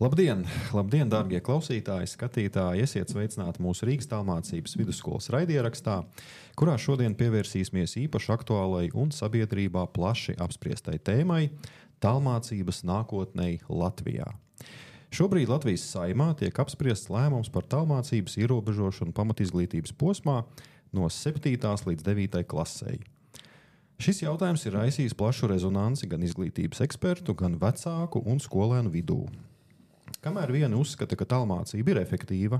Labdien, labdien, dārgie klausītāji, skatītāji! Esiet sveicināti mūsu Rīgas Tālmācības vidusskolas raidierakstā, kurā šodien pievērsīsimies īpaši aktuālai un sabiedrībā plaši apspriestai tēmai – tālmācības nākotnei Latvijā. Šobrīd Latvijas Saeimā tiek apspriests lēmums par tālmācības ierobežošanu pamatizglītības posmā no 7. līdz 9. klasei. Šis jautājums ir raisījis plašu rezonanci gan izglītības ekspertu, gan vecāku un skolēnu vidū. Kamēr vieni uzskata, ka tālmācība ir efektīva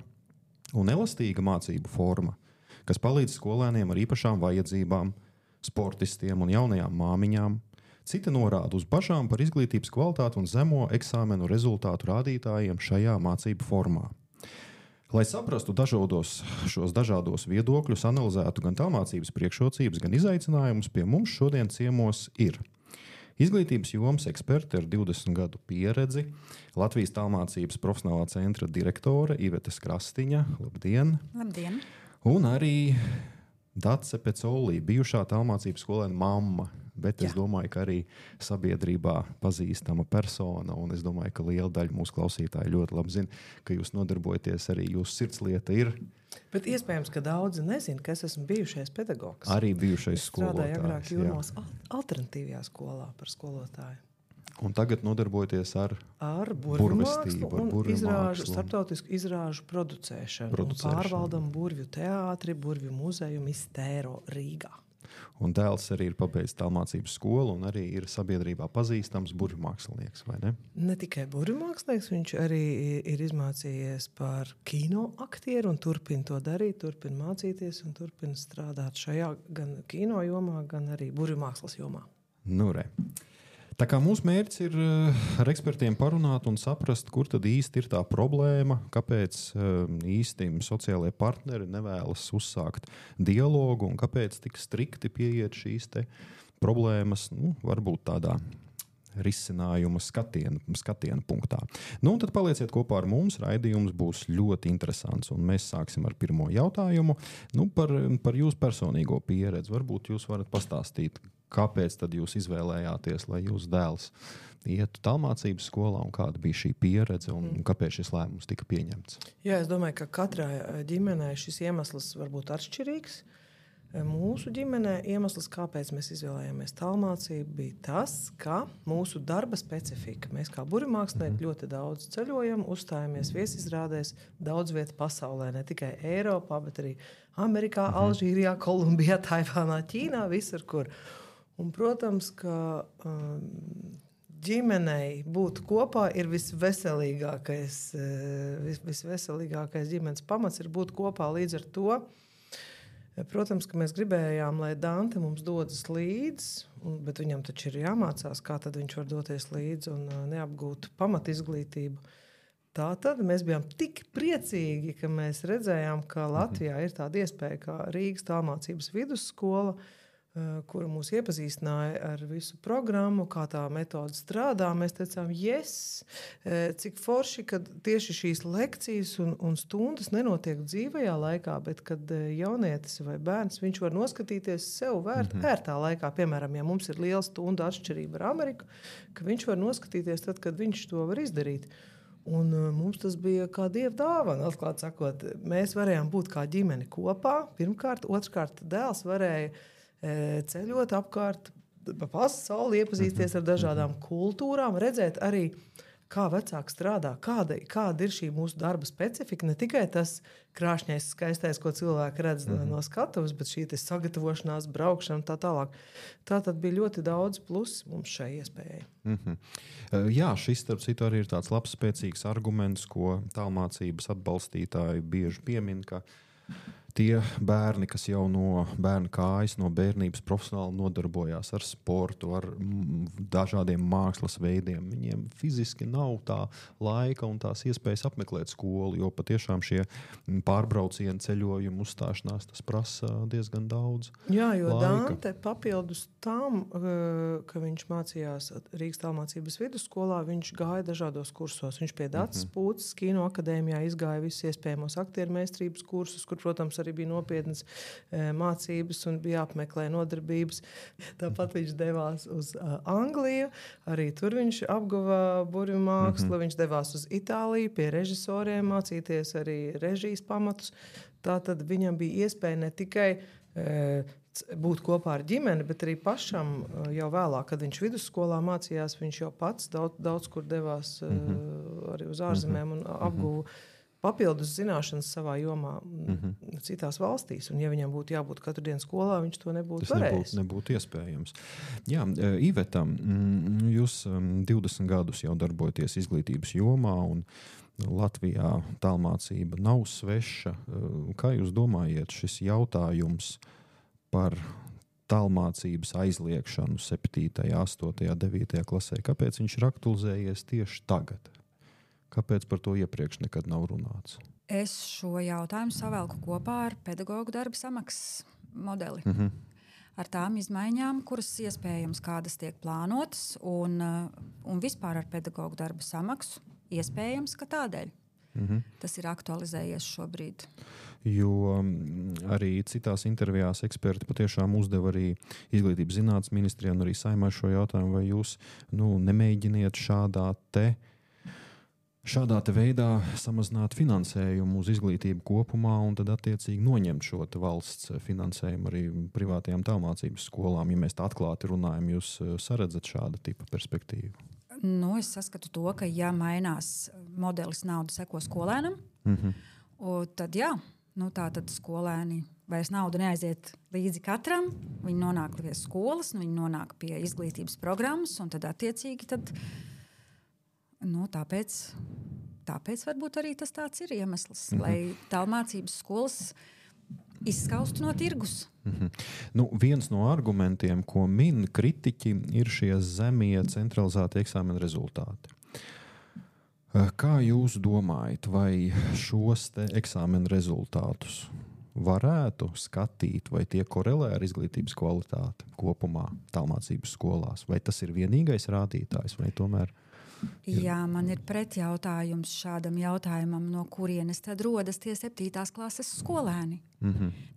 un elastīga mācību forma, kas palīdz skolēniem ar īpašām vajadzībām, sportistiem un jaunajām māmiņām, citi norāda uz bažām par izglītības kvalitāti un zemo eksāmenu rezultātu rādītājiem šajā mācību formā. Lai saprastu šos dažādos viedokļus, analizētu gan tālmācības priekšrocības, gan izaicinājumus, pie mums šodien ciemos ir izglītības jomas eksperti ar 20 gadu pieredzi, Latvijas Tālmācības profesionālā centra direktore Ivete Skrastiņa. Labdien! Labdien! Un arī Dace Pecolī, bijušā tālmācības skolēna mamma, bet es domāju, ka arī sabiedrībā pazīstama persona, un es domāju, ka liela daļa mūsu klausītāji ļoti labi zina, ka jūs nodarbojaties, arī jūsu sirdslieta ir. Bet iespējams, ka daudzi nezina, ka es esmu bijušais pedagogs. Arī bijušais skolotājs. Strādāju agrāk Jūrmālas alternatīvajā skolā par skolotāju. Un tagad nodarbojaties ar burvestību, un izrāžu, starptautisku izrāžu producēšanu. Un pārvaldam burvju teātri, burvju muzeju Mistēro Rīgā. Un dēls arī ir pabeidzis tālmācības skolu un arī ir sabiedrībā pazīstams burvju mākslinieks, vai ne? Ne tikai burvju mākslinieks, viņš arī ir izmācījies par kino aktieru un turpina to darīt, turpina mācīties un turpina strādāt šajā gan kino jomā, gan arī burvju mākslas jomā. Nu re. Tā kā mūsu mērķis ir ar ekspertiem parunāt un saprast, kur tad īsti ir tā problēma, kāpēc īsti sociālajie partneri nevēlas uzsākt dialogu un kāpēc tik strikti pieiet šīs te problēmas, varbūt tādā risinājuma skatiena punktā. Un tad palieciet kopā ar mums, raidījums būs ļoti interesants, un mēs sāksim ar pirmo jautājumu par jūsu personīgo pieredzi. Varbūt jūs varat pastāstīt, kāpēc tad jūs izvēlējāties, lai jūsu dēls ietu tālmācības skolā un kāda bija šī pieredze un kāpēc šis lēmums tika pieņemts? Jā, es domāju, ka katrai ģimenei šis iemesls var būt atšķirīgs. Mūsu ģimenē iemesls, kāpēc mēs izvēlējāmies tālmācību, bija tas, ka mūsu darba specifika. Mēs kā burvju mākslinieki ļoti daudz ceļojam, uzstājamies viesizrādēs daudz vietu pasaulē, ne tikai Eiropā, bet arī Amerikā, Alžīrijā, Kolumbijā, Taivānā, Ķīnā, visur kur. Un, protams, ka ģimenei būt kopā ir visveselīgākais ģimenes pamats ir būt kopā līdz ar to. Protams, ka mēs gribējām, lai Dante mums dodas līdzi, bet viņam taču ir jāmācās, kā tad viņš var doties līdzi un neapgūt pamatizglītību. Tātad mēs bijām tik priecīgi, ka mēs redzējām, ka Latvijā ir tāda iespēja kā Rīgas Tālmācības vidusskola, kura mūs iepazīstināja ar visu programmu, kā tā metode strādā. Mēs teicām, cik forši, kad tieši šīs lekcijas un stundas nenotiek dzīvajā laikā, bet kad jaunietis vai bērns, viņš var noskatīties sev vērtā laikā. Piemēram, ja mums ir liela stunda atšķirība ar Ameriku, ka viņš var noskatīties tad, kad viņš to var izdarīt. Un mums tas bija kā dieva dāvana, atklāt sakot. Mēs varējām būt kā ģimeni kopā, pirmkārt, otrkārt dēls varēja ceļot apkārt pa pasauli, iepazīsties ar dažādām kultūrām, redzēt arī, kā vecāki strādā, kāda ir šī mūsu darba specifika. Ne tikai tas krāšņais, skaistais, ko cilvēki redz no skatuves, bet šī sagatavošanās, braukšana tā tālāk. Tātad bija ļoti daudz plus mums šai iespējai. Jā, šis starp citu arī ir tāds labs, spēcīgs arguments, ko tālmācības atbalstītāji bieži piemin, ka tie bērni, kas jau no bērna kājas, no bērnības profesionāli nodarbojās ar sportu, ar dažādiem mākslas veidiem, viņiem fiziski nav tā laika un tās iespējas apmeklēt skolu, jo patiešām šie pārbraucieni, ceļojumi, uzstāšanās, tas prasa diezgan daudz Jā, jo laika. Dante papildus tam, ka viņš mācījās Rīgas Tālmācības vidusskolā, viņš gāja dažādos kursos. Viņš pie Daces Pūces kino akadēmijā izgāja visus iespējamos aktieru meistarības kursus, kur, protams, arī bija nopietnas mācības un bija jāapmeklē nodarbības. Tāpat viņš devās uz Angliju, arī tur viņš apguva burvju mākslu, viņš devās uz Itāliju pie režisoriem mācīties arī režijas pamatus. Tātad viņam bija iespēja ne tikai būt kopā ar ģimeni, bet arī pašam jau vēlāk, kad viņš vidusskolā mācījās, viņš jau pats daudz kur devās arī uz ārzemēm un apguva papildus zināšanas savā jomā citās valstīs. Un ja viņam būtu jābūt katru dienu skolā, viņš to nebūtu varējis. Tas nebūtu iespējams. Jā, Iveta, jūs 20 gadus jau darbojaties izglītības jomā un Latvijā tālmācība nav sveša. Kā jūs domājat, šis jautājums par tālmācības aizliekšanu 7., 8., 9. klasē, kāpēc viņš ir aktualizējies tieši tagad? Kāpēc par to iepriekš nekad nav runāts? Es šo jautājumu savelku kopā ar pedagoģu darba samaksas modeli. Ar tām izmaiņām, kuras iespējams kādas tiek plānotas, un vispār ar pedagoģu darba samaksu iespējams, ka tādēļ. Tas ir aktualizējies šobrīd. Jo arī citās intervijās eksperti patiešām uzdeva arī Izglītības zinātnes ministrijai un arī Saeimai šo jautājumu, vai jūs nemēģiniet šādā veidā samazināt finansējumu uz izglītību kopumā un tad attiecīgi noņemt šo valsts finansējumu arī privātajām tālmācības skolām. Ja mēs tā atklāti runājam, jūs saredzat šāda tipa perspektīvu? Es saskatu to, ka ja mainās modelis nauda seko skolēnam, tad jā, tā tad skolēni vairs nauda neaiziet līdzi katram, viņi nonāk pie skolas, viņi nonāk pie izglītības programmas, un tad attiecīgi tāpēc varbūt arī tas tāds ir iemesls, lai tālmācības skolas izskaustu no tirgus. Viens no argumentiem, ko min kritiķi, ir šie zemie centralizēti eksāmena rezultāti. Kā jūs domājat, vai šos eksāmena rezultātus varētu skatīt, vai tie korelē ar izglītības kvalitāti kopumā tālmācības skolās? Vai tas ir vienīgais rādītājs, vai tomēr? Jā, man ir pretjautājums šādam jautājumam, no kurienes tad rodas tie 7. klases skolēni.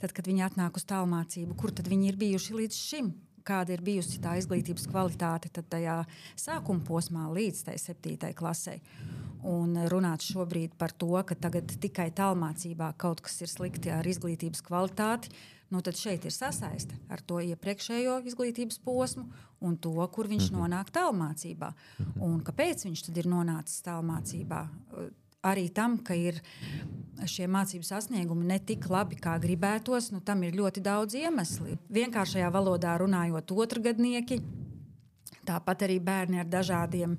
Tad, kad viņi atnāk uz tālmācību, kur tad viņi ir bijuši līdz šim? Kāda ir bijusi tā izglītības kvalitāte tad tajā sākuma posmā līdz tai 7. klasei? Un runāt šobrīd par to, ka tagad tikai tālmācībā kaut kas ir slikti ar izglītības kvalitāti, tad šeit ir sasaiste ar to iepriekšējo izglītības posmu un to, kur viņš nonāk tālmācībā. Un kāpēc viņš tad ir nonācis tālmācībā? Arī tam, ka ir šie mācību sasniegumi ne tik labi, kā gribētos, tam ir ļoti daudz iemesli. Vienkāršajā valodā runājot otrgadnieki, tāpat arī bērni ar dažādiem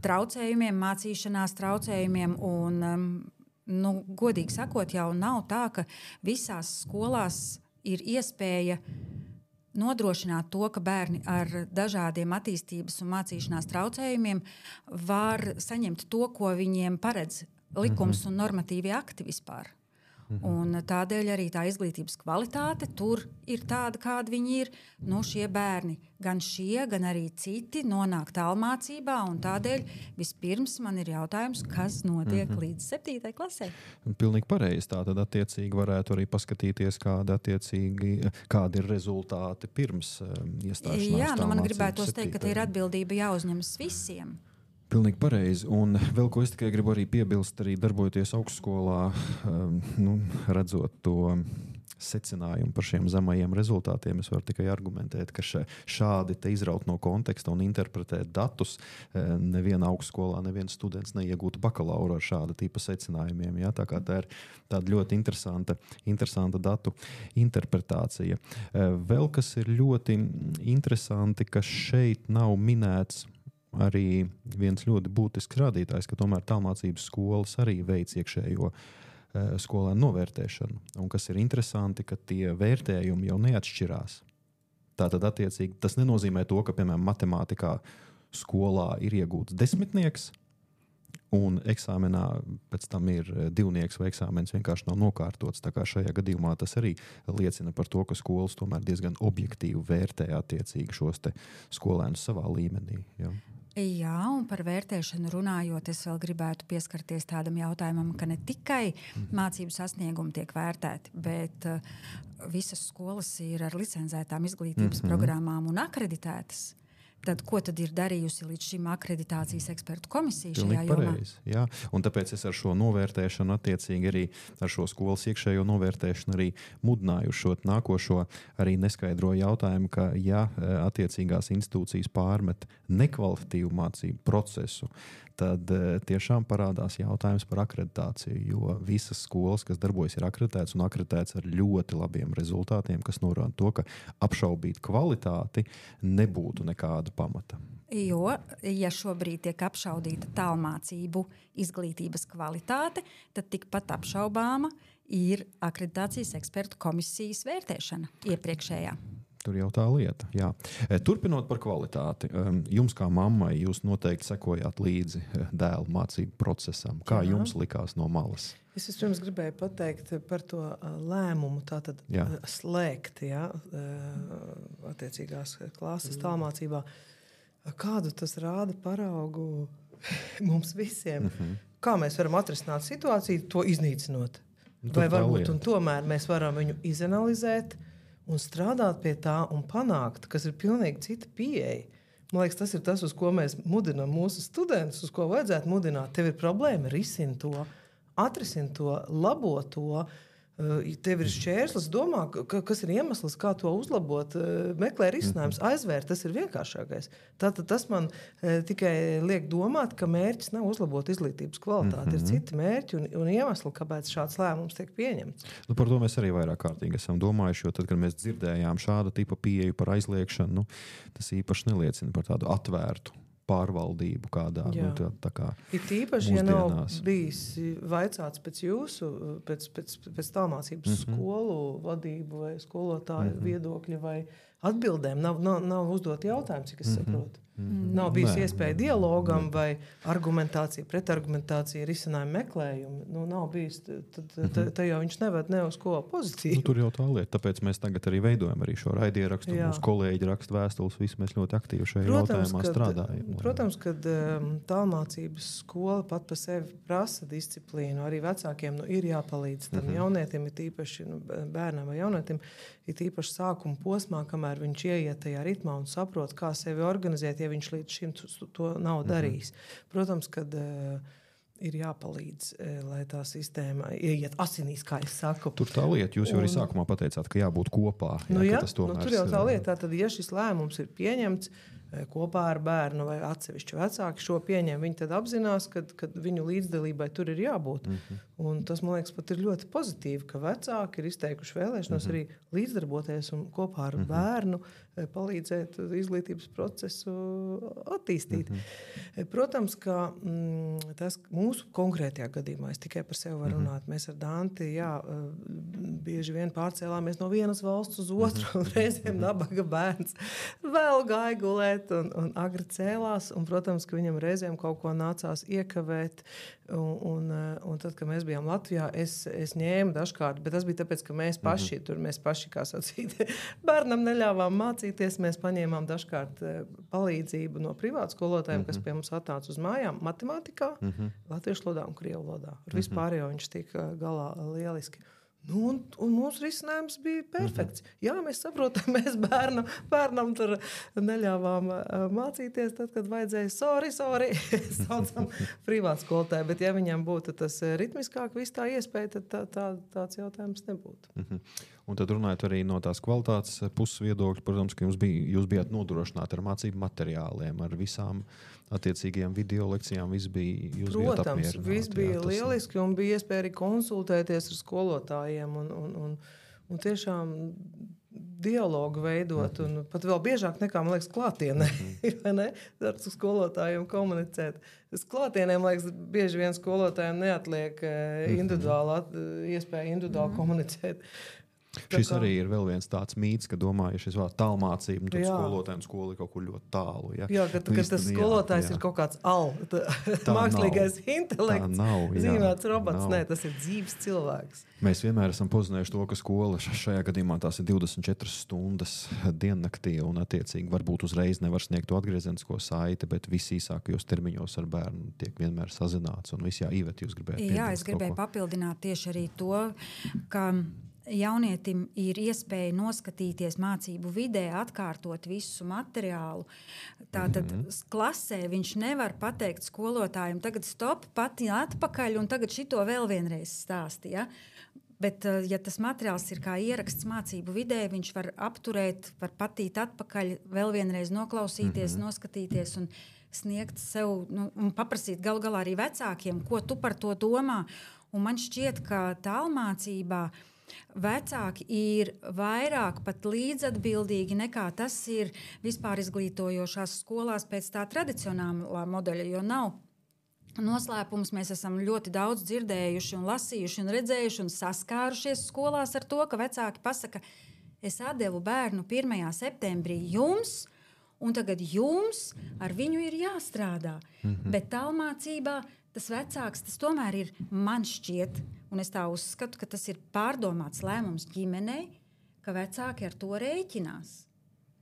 traucējumiem, mācīšanās traucējumiem un godīgi sakot, jau nav tā, ka visās skolās ir iespēja nodrošināt to, ka bērni ar dažādiem attīstības un mācīšanās traucējumiem var saņemt to, ko viņiem paredz likums un normatīvi akti vispār. Un tādēļ arī tā izglītības kvalitāte tur ir tāda, kāda viņi ir. Šie bērni, gan šie, gan arī citi, nonāk tālmācībā, un tādēļ vispirms man ir jautājums, kas notiek līdz 7. klasē. Pilnīgi pareizi. Tā tad attiecīgi varētu arī paskatīties, kādi ir rezultāti pirms iestāšanās. Jā, man gribētos teikt, ka te ir atbildība jāuzņemas visiem. Pilnīgi pareizi. Un vēl ko es tikai gribu arī piebilst, arī darbojoties augstskolā, redzot to secinājumu par šiem zemajiem rezultātiem, es varu tikai argumentēt, ka šādi te izraut no konteksta un interpretēt datus neviena augstskolā, neviens students neiegūtu bakalauru ar šāda tipa secinājumiem. Ja? Tā kā tā ir tāda ļoti interesanta datu interpretācija. Vēl kas ir ļoti interesanti, ka šeit nav minēts arī viens ļoti būtisks rādītājs, ka tomēr tālmācības skolas arī veic iekšējo skolēnu novērtēšanu. Un kas ir interesanti, ka tie vērtējumi jau neatšķirās. Tātad attiecīgi tas nenozīmē to, ka, piemēram, matemātikā skolā ir iegūts 10. un eksāmenā pēc tam ir 2. vai eksāmens vienkārši nav nokārtots. Tā kā šajā gadījumā tas arī liecina par to, ka skolas tomēr diezgan objektīvi vērtē attiecīgi šos te skolēnus savā līmenī. Ja? Jā, un par vērtēšanu runājot, es vēl gribētu pieskarties tādam jautājumam, ka ne tikai mācību sasniegumi tiek vērtēti, bet visas skolas ir ar licencētām izglītības programmām un akreditētas. Tad, ko tad ir darījusi līdz šim akreditācijas ekspertu komisija šajā jomā? Jā, un tāpēc es ar šo novērtēšanu, attiecīgi arī ar šo skolas iekšējo novērtēšanu arī mudināju šo nākošo arī neskaidro jautājumu, ka ja attiecīgās institūcijas pārmet nekvalitatīvu mācību procesu, tad tiešām parādās jautājums par akreditāciju, jo visas skolas, kas darbojas, ir akreditētas un akreditētas ar ļoti labiem rezultātiem, kas norāda to, ka apšaubīt kvalitāti nebūtu nekāda pamata. Jo, ja šobrīd tiek apšaudīta tālmācību izglītības kvalitāte, tad tikpat apšaubāma ir akreditācijas ekspertu komisijas vērtēšana iepriekšējā. Tur jau tā lieta. Jā. Turpinot par kvalitāti, jums kā mammai, jūs noteikti sekojāt līdzi dēlu mācību procesam. Kā jums likās no malas? Es vispirms gribēju pateikt par to lēmumu, tātad slēgt attiecīgās klases tālmācībā. Kādu tas rāda paraugu mums visiem? Kā mēs varam atrisināt situāciju, to iznīcinot? Vai varbūt un tomēr mēs varam viņu izanalizēt un strādāt pie tā un panākt, kas ir pilnīgi cita pieeja. Man liekas, tas ir tas, uz ko mēs mudinām mūsu studentus, uz ko vajadzētu mudināt. Tev ir problēma, risini to, atrisini to, labo to. Tev ir šķērslis, domā, kas ir iemesls, kā to uzlabot, meklē risinājums, aizvērt, tas ir vienkāršākais. Tātad tas man tikai liek domāt, ka mērķis nav uzlabot izglītības kvalitāti. Ir citi mērķi un iemesli, kāpēc šāds lēmums tiek pieņemts. Nu, par to mēs arī vairāk kārtīgi esam domājuši, jo tad, kad mēs dzirdējām šāda tipa pieeju par aizliekšanu, tas īpaši neliecina par tādu atvērtu pārvaldību kādā. Tā kā ir tīpaši, ja nav bijis vaicāts pēc jūsu, pēc tālmācības skolu vadību vai skolotāju viedokļa vai atbildēm. Nav uzdot jautājumu, cik es saprotu. Nav bijis iespēja dialogam vai argumentācija, pretargumentācija, risinājumu meklējumu. Nav bijis, tad jau viņš neved ne uz ko pozitīvu. Tur jau tā lieta. Tāpēc mēs tagad arī veidojam arī šo raidierakstu. Mūsu kolēģi raksta vēstules, visi mēs ļoti aktīvi šajā jautājumā strādājam. Protams, ka tālmācības skola pat pa sevi prasa disciplīnu. Arī vecākiem ir jāpalīdz tam jaunietim, ir tīpaši bērnam vai jaunietim, ir tīpaši sākuma posmā, kamēr viņš ieiet tajā ritmā un saprot, kā sevi organizēt, ja viņš līdz šim to nav darījis. Protams, kad ir jāpalīdz, lai tā sistēma ieiet asinīs, kā es saku. Tur tā lieta, jūs jau arī sākumā pateicāt, ka jābūt kopā. Tur jau tā lieta, tad ja šis lēmums ir pieņemts kopā ar bērnu vai atsevišķu vecāku šo pieņem, viņi tad apzinās, ka viņu līdzdalībai tur ir jābūt. Un tas, man liekas, pat ir ļoti pozitīvi, ka vecāki ir izteikuši vēlēšanos arī līdzdarboties un kopā ar bērnu palīdzēt izglītības procesu attīstīt. Protams, ka tas mūsu konkrētajā gadījumā, es tikai par sevi varu runāt, mēs ar Danti, bieži vien pārcēlāmies no vienas valsts uz otru, un reizēm nabaga bērns vēl gāja gulēt un agri cēlās, un, protams, ka viņam reizēm kaut ko nācās iekavēt, un tad, kad mēs bijām Latvijā, es ņēmu dažkārt, bet tas bija tāpēc, ka mēs paši, kā sacīt, bērnam neļāvām mācīties, mēs paņēmām dažkārt palīdzību no privātu skolotājiem, kas pie mums atnāca uz mājām matemātikā, latviešu valodā un krievu valodā. Ar vispārējo viņš tika galā lieliski. Un mūsu risinājums bija perfekts. Jā, mēs saprotam, mēs bērnam tur neļāvām mācīties, tad, kad vajadzēja sorry, saucam privātu skolotāju, bet ja viņam būtu tas ritmiskāk viss tā iespēja, tad tāds jautājums nebūtu. Un tad runājot arī no tās kvalitātes puses viedokļa, protams, ka jūs bijāt nodrošināti ar mācību materiāliem, ar visām attiecīgajām video lekcijām, viss bija, jūs bijāt apmierināti. Protams, viss bija lieliski un bija iespēja arī konsultēties ar skolotājiem un tiešām dialogu veidot un pat vēl biežāk nekā, man liekas, klātienē, vai ne? Ar skolotājiem komunicēt. Klātienē, man liekas, bieži vien skolotājiem neatliek iespēja individuāli komunicēt. Šis arī ir vēl viens tāds mīts, ka domā, ja šis vārds tālmācība, tad skolotājiem skola ir kaut kur ļoti tālu. Ja? Jā, ka tas skolotājs ir kaut kāds mākslīgais intelekts, zīmēts robots. Nē, tas ir dzīves cilvēks. Mēs vienmēr esam pozinējuši to, ka skola šajā gadījumā tās ir 24 stundas diennaktī un attiecīgi varbūt uzreiz nevar sniegt to atgriezenisko saiti, bet visīsākajos termiņos ar bērnu tiek vienmēr sazināts. Un viss Iveta, jūs gribējāt piebilst? Jā, es gribēju papildināt tieši arī to, ka jaunietim ir iespēja noskatīties mācību vidē, atkārtot visu materiālu. Tātad klasē viņš nevar pateikt skolotājiem, tagad stop, pati atpakaļ un tagad šito vēl vienreiz stāsti. Ja? Bet, ja tas materiāls ir kā ieraksts mācību vidē, viņš var apturēt, var patīt atpakaļ, vēl vienreiz noklausīties, noskatīties un sniegt sev, un paprasīt galu galā arī vecākiem, ko tu par to domā. Un man šķiet, ka tālmācībā vecāki ir vairāk pat līdzatbildīgi nekā tas ir vispār izglītojošās skolās pēc tā tradicionālā modeļa, jo nav noslēpums. Mēs esam ļoti daudz dzirdējuši un lasījuši un redzējuši un saskārušies skolās ar to, ka vecāki pasaka, es atdevu bērnu 1. septembrī jums, un tagad jums ar viņu ir jāstrādā. Bet tālmācībā tas vecāks, tas tomēr ir, man šķiet, un es tā uzskatu, ka tas ir pārdomāts lēmums ģimenei, ka vecāki ar to rēķinās.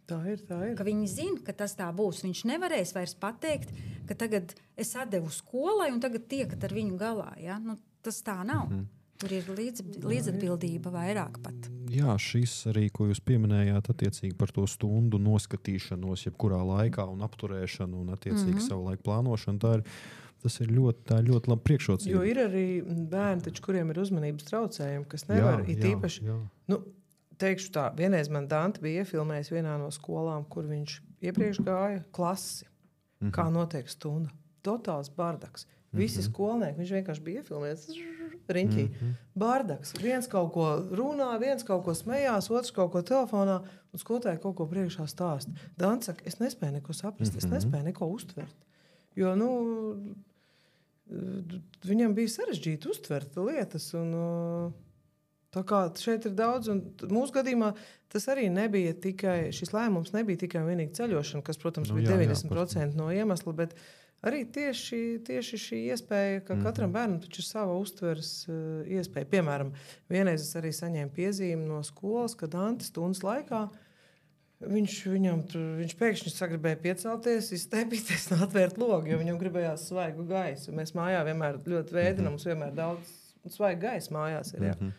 Tā ir. Ka viņi zina, ka tas tā būs. Viņš nevarēs vairs pateikt, ka tagad es atdevu skolai un tagad tiekat ar viņu galā. Ja? Tas tā nav. Tur ir līdzatbildība vairāk pat. Jā, šis arī, ko jūs pieminējāt, attiecīgi par to stundu noskatīšanos, jebkurā laikā un apturēšanu un attiecīgi savu laiku plānošanu, tas ir ļoti labi priekšrocība. Jo ir arī bērni, taču, kuriem ir uzmanības traucējumi, kas nevar īpaši. Teikšu tā, vienreiz man Dante bija iefilmējis vienā no skolām, kur viņš iepriekš gāja klasi, kā notiek stunda. Totāls bardaks. Visi skolnieki, viņš vienkārši bija iefilmējis riņķī. Bardaks. Viens kaut ko runā, viens kaut ko smējās, otrs kaut ko telefonā, un skolotāji kaut ko priekšā stāst. Dante saka, es nespēju neko saprast, es nespēju neko uztvert. Jo, viņam bija sarežģīti uztvert lietas, un tā kā šeit ir daudz, un mūsu gadījumā tas arī nebija tikai, šis lēmums nebija tikai un vienīgi ceļošana, kas, protams, bija 90% no iemesla, bet arī tieši šī iespēja, ka katram bērnam taču ir sava uztveres iespēja. Piemēram, vienreiz es arī saņēmu piezīmi no skolas, ka Dante stundas laikā viņš pēkšņi sagribēja piecelties, izstēpīties un atvērt logu, jo viņam gribējās svaigu gaisu. Mēs mājā vienmēr ļoti vēdinam, mums vienmēr daudz svaigu gaisu mājās ir. Jā.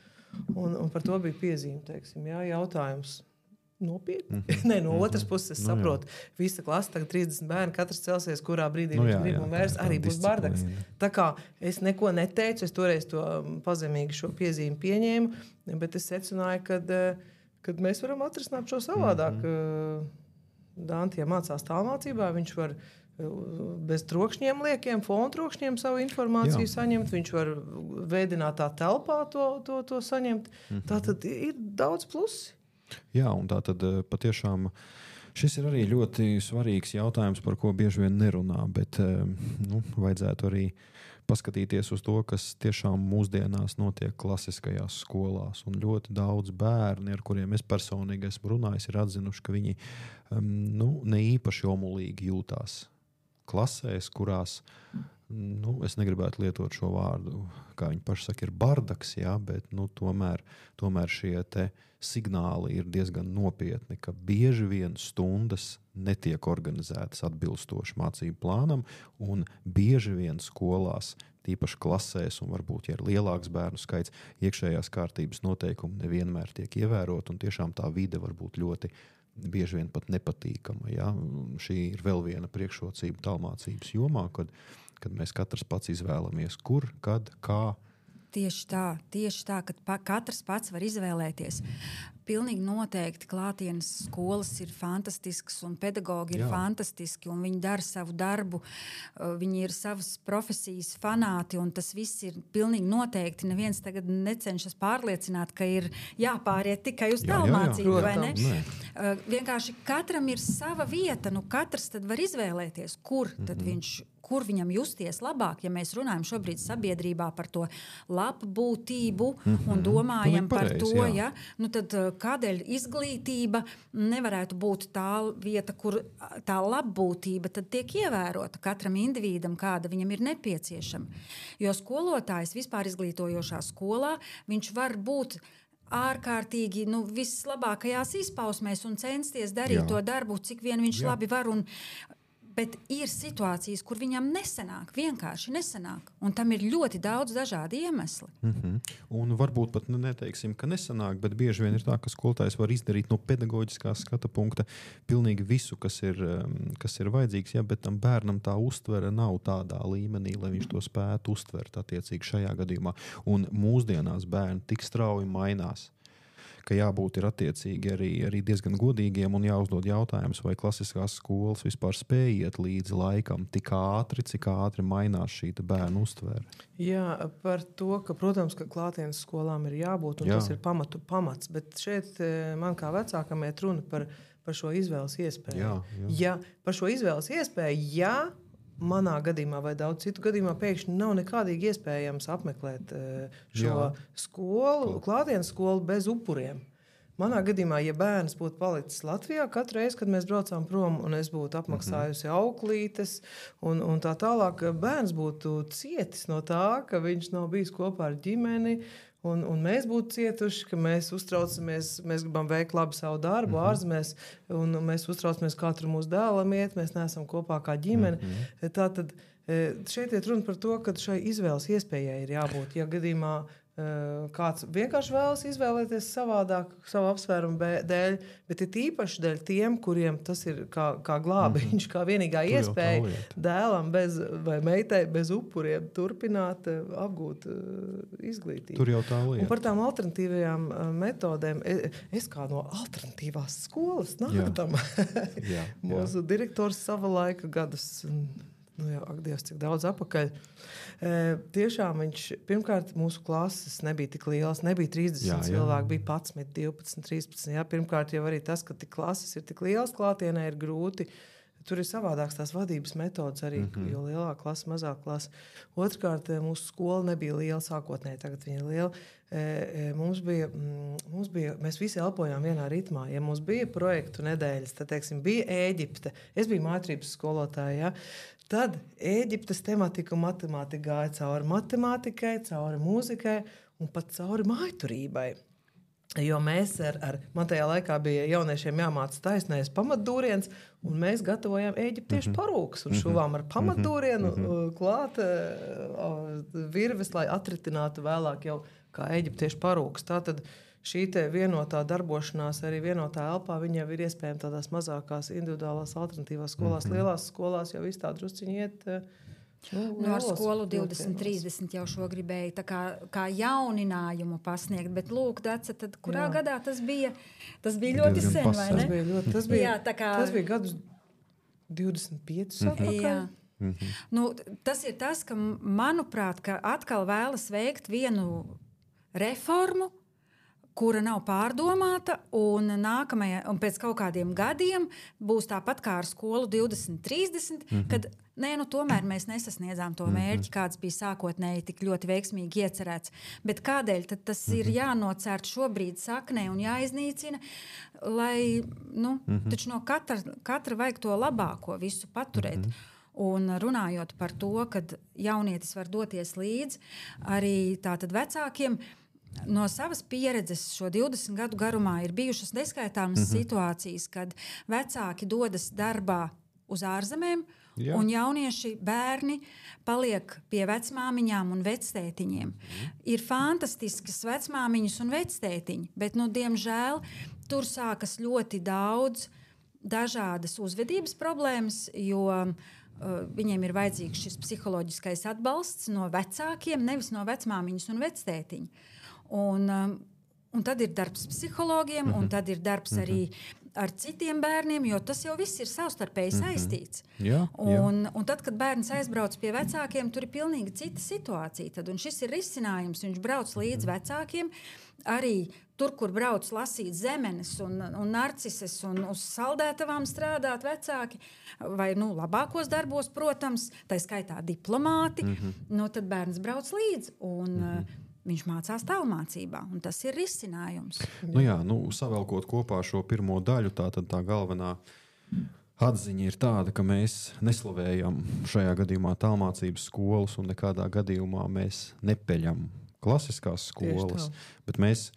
Un par to bija piezīme, teiksim, jā, jautājums. Nopietni. Nē, no otras puses es saprotu. Visa klasa, tagad 30 bērni, katrs celsies, kurā brīdī viņš grib un vairs arī būs bardaks. Tā kā es neko neteicu, es toreiz to pazemīgi šo piezīmi pieņēmu, bet es secināju, kad mēs varam atrisināt šo savādāk. Dante, ja mācās tālmācībā, viņš var bez trokšņiem liekiem, fonu trokšņiem savu informāciju saņemt, viņš var veidinātā telpā to saņemt. Tātad ir daudz plusi. Jā, un tā tad patiešām šis ir arī ļoti svarīgs jautājums, par ko bieži vien nerunā, bet vajadzētu arī paskatīties uz to, kas tiešām mūsdienās notiek klasiskajās skolās. Un ļoti daudz bērni, ar kuriem es personīgi esmu runājis, ir atzinuši, ka viņi ne īpaši omulīgi jūtās klasēs, kurās, es negribētu lietot šo vārdu, kā viņi paši saka, ir bardaks, jā, bet tomēr šie te signāli ir diezgan nopietni, ka bieži vien stundas netiek organizētas atbilstoši mācību plānam, un bieži vien skolās, tīpaši klasēs, un varbūt, ja ir lielāks bērnu skaits, iekšējās kārtības noteikumi nevienmēr tiek ievērot, un tiešām tā vide var būt ļoti bieži vien pat nepatīkama. Ja? Šī ir vēl viena priekšrocība tālmācības jomā, kad mēs katrs pats izvēlamies, kur, kad, kā. Tieši tā, ka katrs pats var izvēlēties. pilnīgi noteikti klātienes skolas ir fantastiskas un pedagogi ir fantastiski un viņi dara savu darbu, viņi ir savas profesijas fanāti un tas viss ir pilnīgi noteikti. Neviens tagad necenšas pārliecināt, ka ir jāpāriet tikai uz tālmācību, vai ne? Vienkārši katram ir sava vieta, katrs tad var izvēlēties, kur viņam justies labāk, ja mēs runājam šobrīd sabiedrībā par to labbūtību un domājam par to, tad kādēļ izglītība nevarētu būt tā vieta, kur tā labbūtība tad tiek ievērota katram individam, kāda viņam ir nepieciešama. Jo skolotājs vispār izglītojošā skolā, viņš var būt ārkārtīgi vislabākajās izpausmēs un censties darīt to darbu, cik vien viņš labi var bet ir situācijas, kur viņam vienkārši nesanāk. Un tam ir ļoti daudz dažādi iemesli. Un varbūt pat neteiksim, ka nesanāk, bet bieži vien ir tā, ka skolotājs var izdarīt no pedagoģiskā skata punkta pilnīgi visu, kas ir vajadzīgs, bet tam bērnam tā uztvere nav tādā līmenī, lai viņš to spētu uztvert attiecīgi šajā gadījumā. Un mūsdienās bērni tik strauji mainās, ka jābūt ir attiecīgi arī diezgan godīgiem un jāuzdod jautājums, vai klasiskās skolas vispār spēj iet līdzi laikam tik ātri, cik ātri mainās šī bērnu uztvere. Jā, par to, ka, protams, ka klātienes skolām ir jābūt, un tas ir pamats, bet šeit man kā vecākam iet runa par šo izvēles iespēju. Ja, par šo izvēles iespēju, manā gadījumā vai daudz citu gadījumā pēkšņi nav nekādīgi iespējams apmeklēt šo skolu, klātienes skolu bez upuriem. Manā gadījumā, ja bērns būtu palicis Latvijā, katru reizi, kad mēs braucām prom un es būtu apmaksājusi auklītes un tā tālāk, bērns būtu cietis no tā, ka viņš nav bijis kopā ar ģimeni. Un mēs būtu cietuši, ka mēs uztraucamies, mēs gribam veikt labi savu darbu ārzemēs, un mēs uztraucamies, kā tur mūsu dēlam iet, mēs neesam kopā kā ģimene. Tātad šeit iet runa par to, ka šai izvēles iespējai ir jābūt. Ja gadījumā kāds vienkārši vēlas izvēlēties savādāk, savu apsvērumu dēļ, bet ir īpaši dēļ tiem, kuriem tas ir kā glābiņš, kā vienīgā iespēja dēlam vai meitai bez upuriem turpināt apgūt izglītību. Tur jau tā lieta. Un par tām alternatīvajām metodēm, es kā no alternatīvās skolas nākam. Mūsu direktors sava laika gadus, ak Dievs, cik daudz apakaļ. Tiešām viņš, pirmkārt, mūsu klases nebija tik lielas, nebija 30 cilvēki, bija 11, 12, 13. Pirmkārt, jau arī tas, ka tik klases ir tik lielas klātienē, ir grūti. Tur ir savādāks tās vadības metodas arī, jo lielāka klasa, mazāk klasa. Otrkārt, mūsu skola nebija liela sākotnēji, tagad viņa ir liela. Mēs visi elpojām vienā ritmā. Ja mums bija projektu nedēļas, tad, bija Ēģipte. Es biju mājatrības skolotāja, Tad Ēģiptes tematika un matemātika gāja cauri matemātikai, cauri mūzikai un pat cauri mājturībai. Jo mēs man tajā laikā bija jauniešiem jāmāca taisnais pamatdūriens, un mēs gatavojām ēģiptiešu parūkas un šuvām ar pamatdūrienu klāt virves, lai atritinātu vēlāk jau kā ēģiptiešu parūkas. Tātad šī te vienotā darbošanās, arī vienotā elpā, viņa jau ir iespējama tādās mazākās individuālās alternatīvās skolās. Lielās skolās jau viss tā drusciņi iet. Ar skolu 2030 jau šo gribēju tā kā jauninājumu pasniegt, bet lūk, Dace, tad kurā gadā tas bija? Tas bija ļoti sen, vai ne? Tas bija gadus 25 atpakaļ. Tas ir tas, ka, manuprāt, ka atkal vēlas veikt vienu reformu, kura nav pārdomāta, un pēc kaut kādiem gadiem būs tāpat kā ar skolu 2030, kad tomēr mēs nesasniedzām to mērķi, kāds bija sākotnēji tik ļoti veiksmīgi iecerēts. Bet kādēļ tad tas ir jānocērt šobrīd saknē un jāiznīcina, lai taču no katra vajag to labāko visu paturēt. Un runājot par to, kad jaunietis var doties līdzi arī tātad vecākiem, no savas pieredzes šo 20 gadu garumā ir bijušas neskaitāmas situācijas, kad vecāki dodas darbā uz ārzemēm, un jaunieši bērni paliek pie vecmāmiņām un vectētiņiem. Ir fantastiskas vecmāmiņas un vectētiņi, bet, diemžēl, tur sākas ļoti daudz dažādas uzvedības problēmas, jo viņiem ir vajadzīgs šis psiholoģiskais atbalsts no vecākiem, nevis no vecmāmiņas un vectētiņa. Un tad ir darbs psihologiem, un tad ir darbs arī ar citiem bērniem, jo tas jau viss ir savstarpēji saistīts. Un tad, kad bērns aizbrauc pie vecākiem, tur ir pilnīgi cita situācija. Tad, un šis ir risinājums. Viņš brauc līdz vecākiem, arī tur, kur brauc lasīt zemenes un narcises un uz saldētavām strādāt vecāki, vai labākos darbos, protams, tā skaitā diplomāti, tad bērns brauc līdzi. Viņš mācās tālmācībā, un tas ir risinājums. Savelkot kopā šo pirmo daļu, tā galvenā atziņa ir tāda, ka mēs neslavējam šajā gadījumā tālmācības skolas, un nekādā gadījumā mēs nepeļam klasiskās skolas, bet mēs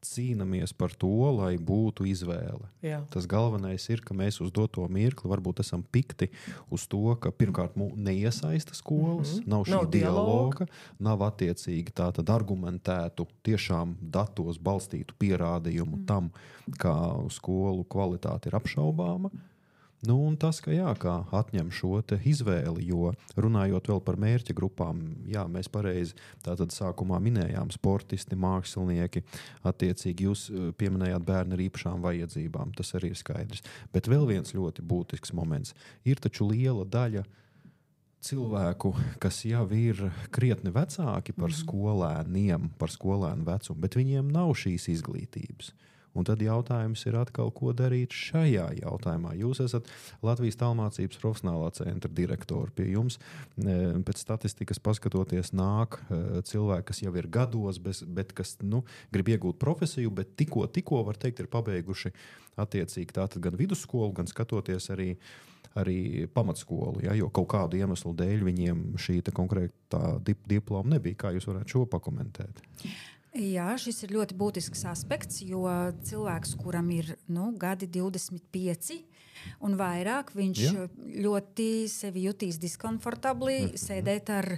cīnāmies par to, lai būtu izvēle. Jā. Tas galvenais ir, ka mēs uz doto mirkli varbūt esam pikti uz to, ka pirmkārt neiesaista skolas, nav šī dialoga, nav attiecīgi tātad argumentētu, tiešām datos balstītu pierādījumu tam, kā skolu kvalitāte ir apšaubāma. Un tas, ka atņem šo izvēli, jo runājot vēl par mērķa grupām, mēs pareizi tātad sākumā minējām sportisti, mākslinieki, attiecīgi jūs pieminējāt bērni ar īpašām vajadzībām, tas arī ir skaidrs. Bet vēl viens ļoti būtisks moments. Ir taču liela daļa cilvēku, kas jau ir krietni vecāki par skolēniem, par skolēnu vecumu, bet viņiem nav šīs izglītības. Un tad jautājums ir atkal, ko darīt šajā jautājumā. Jūs esat Latvijas tālmācības profesionālā centra direktori. Pie jums pēc statistikas paskatoties nāk cilvēki, kas jau ir gados, bet kas grib iegūt profesiju, bet tikko var teikt, ir pabeiguši attiecīgi tātad gan vidusskolu, gan skatoties arī pamatskolu, jo kaut kādu iemeslu dēļ viņiem šī konkrētā diploma nebija. Kā jūs varētu šo pakomentēt? Jā, šis ir ļoti būtisks aspekts, jo cilvēks, kuram ir gadi 25 un vairāk, viņš ļoti sevi jutīs diskomfortabli sēdēt ar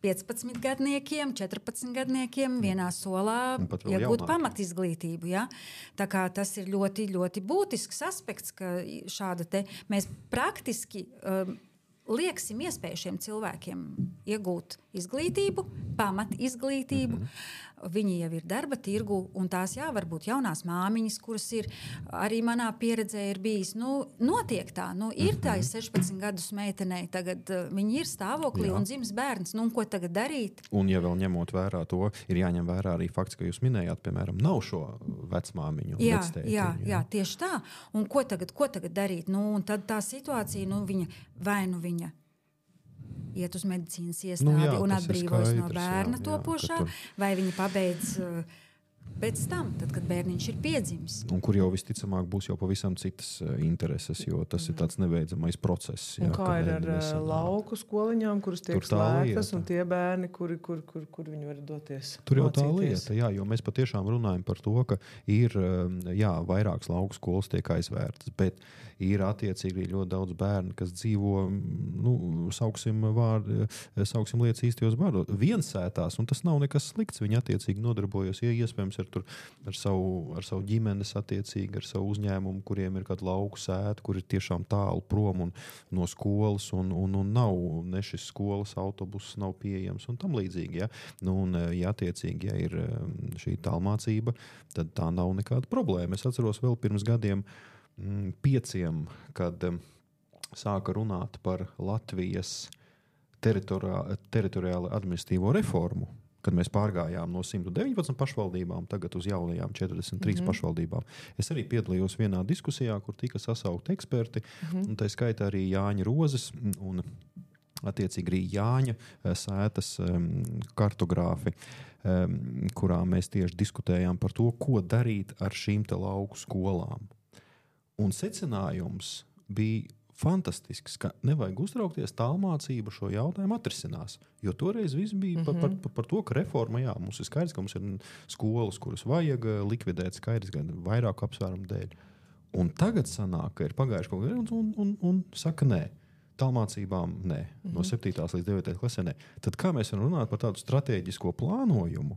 15 gadniekiem, 14 gadniekiem vienā solā, iegūt pamatizglītību. Ja? Tā kā tas ir ļoti, ļoti būtisks aspekts, ka šāda mēs praktiski lieksim iespēju šiem cilvēkiem iegūt izglītību, pamatizglītību. Viņi jau ir darba tirgu, un tās varbūt jaunās māmiņas, kuras ir arī manā pieredzē ir bijis. Notiek tā, ir tā 16 gadus meitenei, tagad viņi ir stāvoklī un dzims bērns, un ko tagad darīt? Un ja vēl ņemot vērā to, ir jāņem vērā arī fakts, ka jūs minējāt, piemēram, nav šo vecmāmiņu. Jā, tieši tā. Un ko tagad darīt? Un tad tā situācija, viņa iet uz medicīnas iestādi un atbrīvojas no bērna topošā, vai viņi pabeidz pēc tam, tad, kad bērniņš ir piedzimis. Un kur jau visticamāk būs jau pavisam citas intereses, jo tas ir tāds nebeidzamais process. Un kā ir ar lauku skoliņām, kuras tiek slēgtas, un tie bērni, kur viņi var doties mācīties? Tur jau tā lieta, jo mēs patiešām runājam par to, ka ir, vairākas lauku skolas tiek aizvērtas, bet ir attiecīgi ļoti daudz bērnu, kas dzīvo, sauksim lietas īstajos vārdos, viensētās, un tas nav nekas slikts. Viņi attiecīgi nodarbojas, iespējams, ar savu ģimenes attiecīgi, ar savu uzņēmumu, kuriem ir kāda lauku sēta, kur ir tiešām tālu prom no skolas, un nav ne šis skolas autobuss nav pieejams, un tam līdzīgi. Attiecīgi, ir šī tālmācība, tad tā nav nekāda problēma. Es atceros vēl pirms gadiem 5, kad sāka runāt par Latvijas teritoriāli administratīvo reformu, kad mēs pārgājām no 119 pašvaldībām tagad uz jaunajām 43 pašvaldībām. Es arī piedalījos vienā diskusijā, kur tika sasaukti eksperti, un tā skaitā arī Jāņa Rozes un attiecīgi arī Jāņa sētas kartogrāfi, kurā mēs tieši diskutējām par to, ko darīt ar šīm te lauku skolām. Un secinājums bija fantastisks, ka nevajag uztraukties, tālmācība šo jautājumu atrisinās. Jo toreiz viss bija par to, ka reforma, mums ir skaidrs, ka mums ir skolas, kuras vajag likvidēt, skaidrs gan vairāku apsvērumu dēļ. Un tagad sanāk, ka ir pagājuši kaut kādā un saka nē. Tālmācībām nē. No 7. līdz 9. klasē nē. Tad kā mēs varam runāt par tādu stratēģisko plānojumu,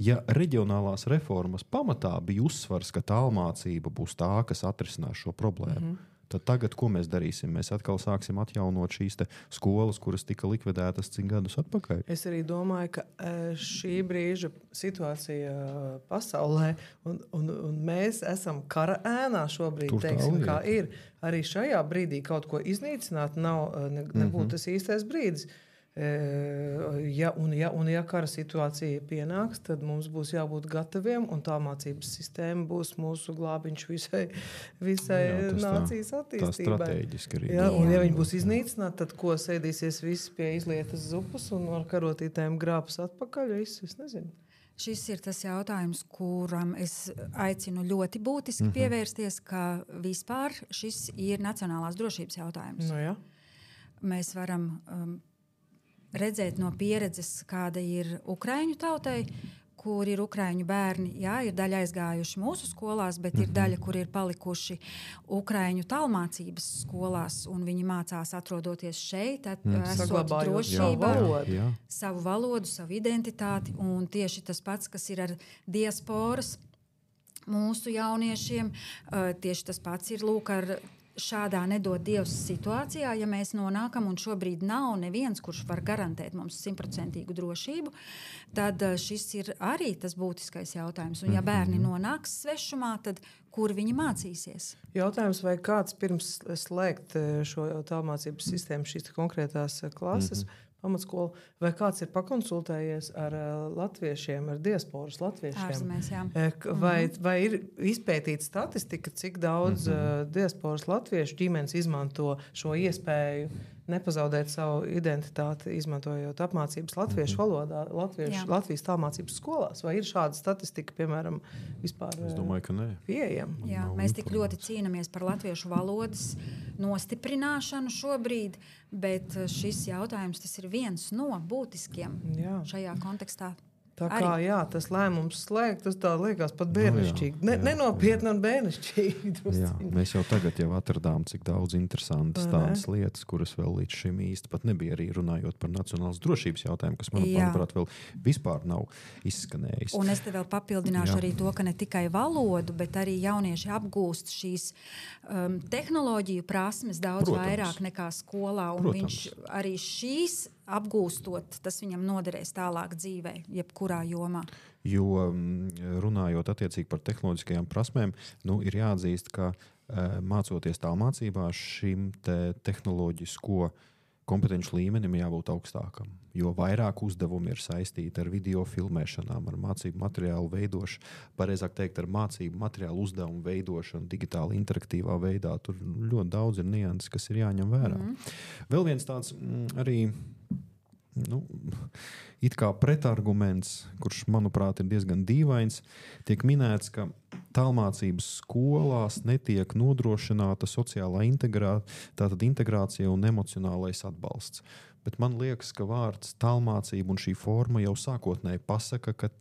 ja reģionālās reformas pamatā bija uzsvars, ka tālmācība būs tā, kas atrisinās šo problēmu? Tad tagad, ko mēs darīsim? Mēs atkal sāksim atjaunot šīs skolas, kuras tika likvidētas cik gadus atpakaļ. Es arī domāju, ka šī brīža situācija pasaulē, un mēs esam kara ēnā šobrīd, teiksim, kā ir. Arī šajā brīdī kaut ko iznīcināt nebūtu tas īstais brīdis. Ja kara situācija pienāks, tad mums būs jābūt gataviem, un tā mācības sistēma būs mūsu glābiņš visai nācijas attīstībai. Tā strateģiski arī. Un ja viņi būs iznīcināti, tad ko sēdīsies visi pie izlietas zupas un ar karotītēm grābas atpakaļ? Es nezinu. Šis ir tas jautājums, kuram es aicinu ļoti būtiski pievērsties, ka vispār šis ir nacionālās drošības jautājums. Nu, jā. Mēs varam redzēt no pieredzes, kāda ir ukraiņu tautai, kur ir ukraiņu bērni. Jā, ir daļa aizgājuši mūsu skolās, bet ir daļa, kur ir palikuši ukraiņu tālmācības skolās, un viņi mācās atrodoties šeit, esot drošībā, savu valodu, savu identitāti, un tieši tas pats, kas ir ar diasporas mūsu jauniešiem, tieši tas pats ir lūk ar šādā nedod Dievs situācijā, ja mēs nonākam, un šobrīd nav neviens, kurš var garantēt mums 100% drošību, tad šis ir arī tas būtiskais jautājums. Un ja bērni nonāks svešumā, tad kur viņi mācīsies? Jautājums, vai kāds pirms slēgt šo tālmācības sistēmu, šīs konkrētās klases, pamatskolu, vai kāds ir pakonsultējies ar latviešiem, ar diasporas latviešiem? Ārzemēs, jā. Vai ir izpētīta statistika, cik daudz diasporas latviešu ģimenes izmanto šo iespēju nepazaudēt savu identitāti, izmantojot apmācības latviešu valodā, Latvijas tālmācības skolās? Vai ir šāda statistika, piemēram, vispār Es domāju, ka nē. pieejama? Jā, mēs tik ļoti cīnāmies par latviešu valodas nostiprināšanu šobrīd, bet šis jautājums tas ir viens no būtiskiem šajā kontekstā. Tā kā tas lēmums slēgt, tas tā liekas pat bērnišķīgi. Nenopietni un bērnišķīgi. Jā, mēs jau tagad atradām, cik daudz interesantas tādas lietas, kuras vēl līdz šim īsti pat nebija, arī runājot par nacionālas drošības jautājumu, kas, manuprāt, vēl vispār nav izskanējis. Un es te vēl papildināšu arī to, ka ne tikai valodu, bet arī jaunieši apgūst šīs tehnoloģiju prasmes daudz vairāk nekā skolā. Un viņš arī šīs apgūstot, tas viņam noderēs tālāk dzīvē, jebkurā jomā. Jo runājot attiecīgi par tehnoloģiskajām prasmēm, ir jāatzīst, ka mācoties tālmācībā šim tehnoloģisko kompetenci līmenim jābūt augstākam. Jo vairāk uzdevumi ir saistīti ar video filmēšanām, ar mācību materiālu veidošanu, pareizāk teikt, ar mācību materiālu uzdevumu veidošanu digitāli interaktīvā veidā. Tur ļoti daudz ir nianses, kas ir jāņem vērā. Vēl viens tāds arī it kā pretarguments, kurš, manuprāt, ir diezgan dīvains, tiek minēts, ka tālmācības skolās netiek nodrošināta sociālā integrācija un emocionālais atbalsts. Bet man liekas, ka vārds tālmācība un šī forma jau sākotnēji pasaka, ka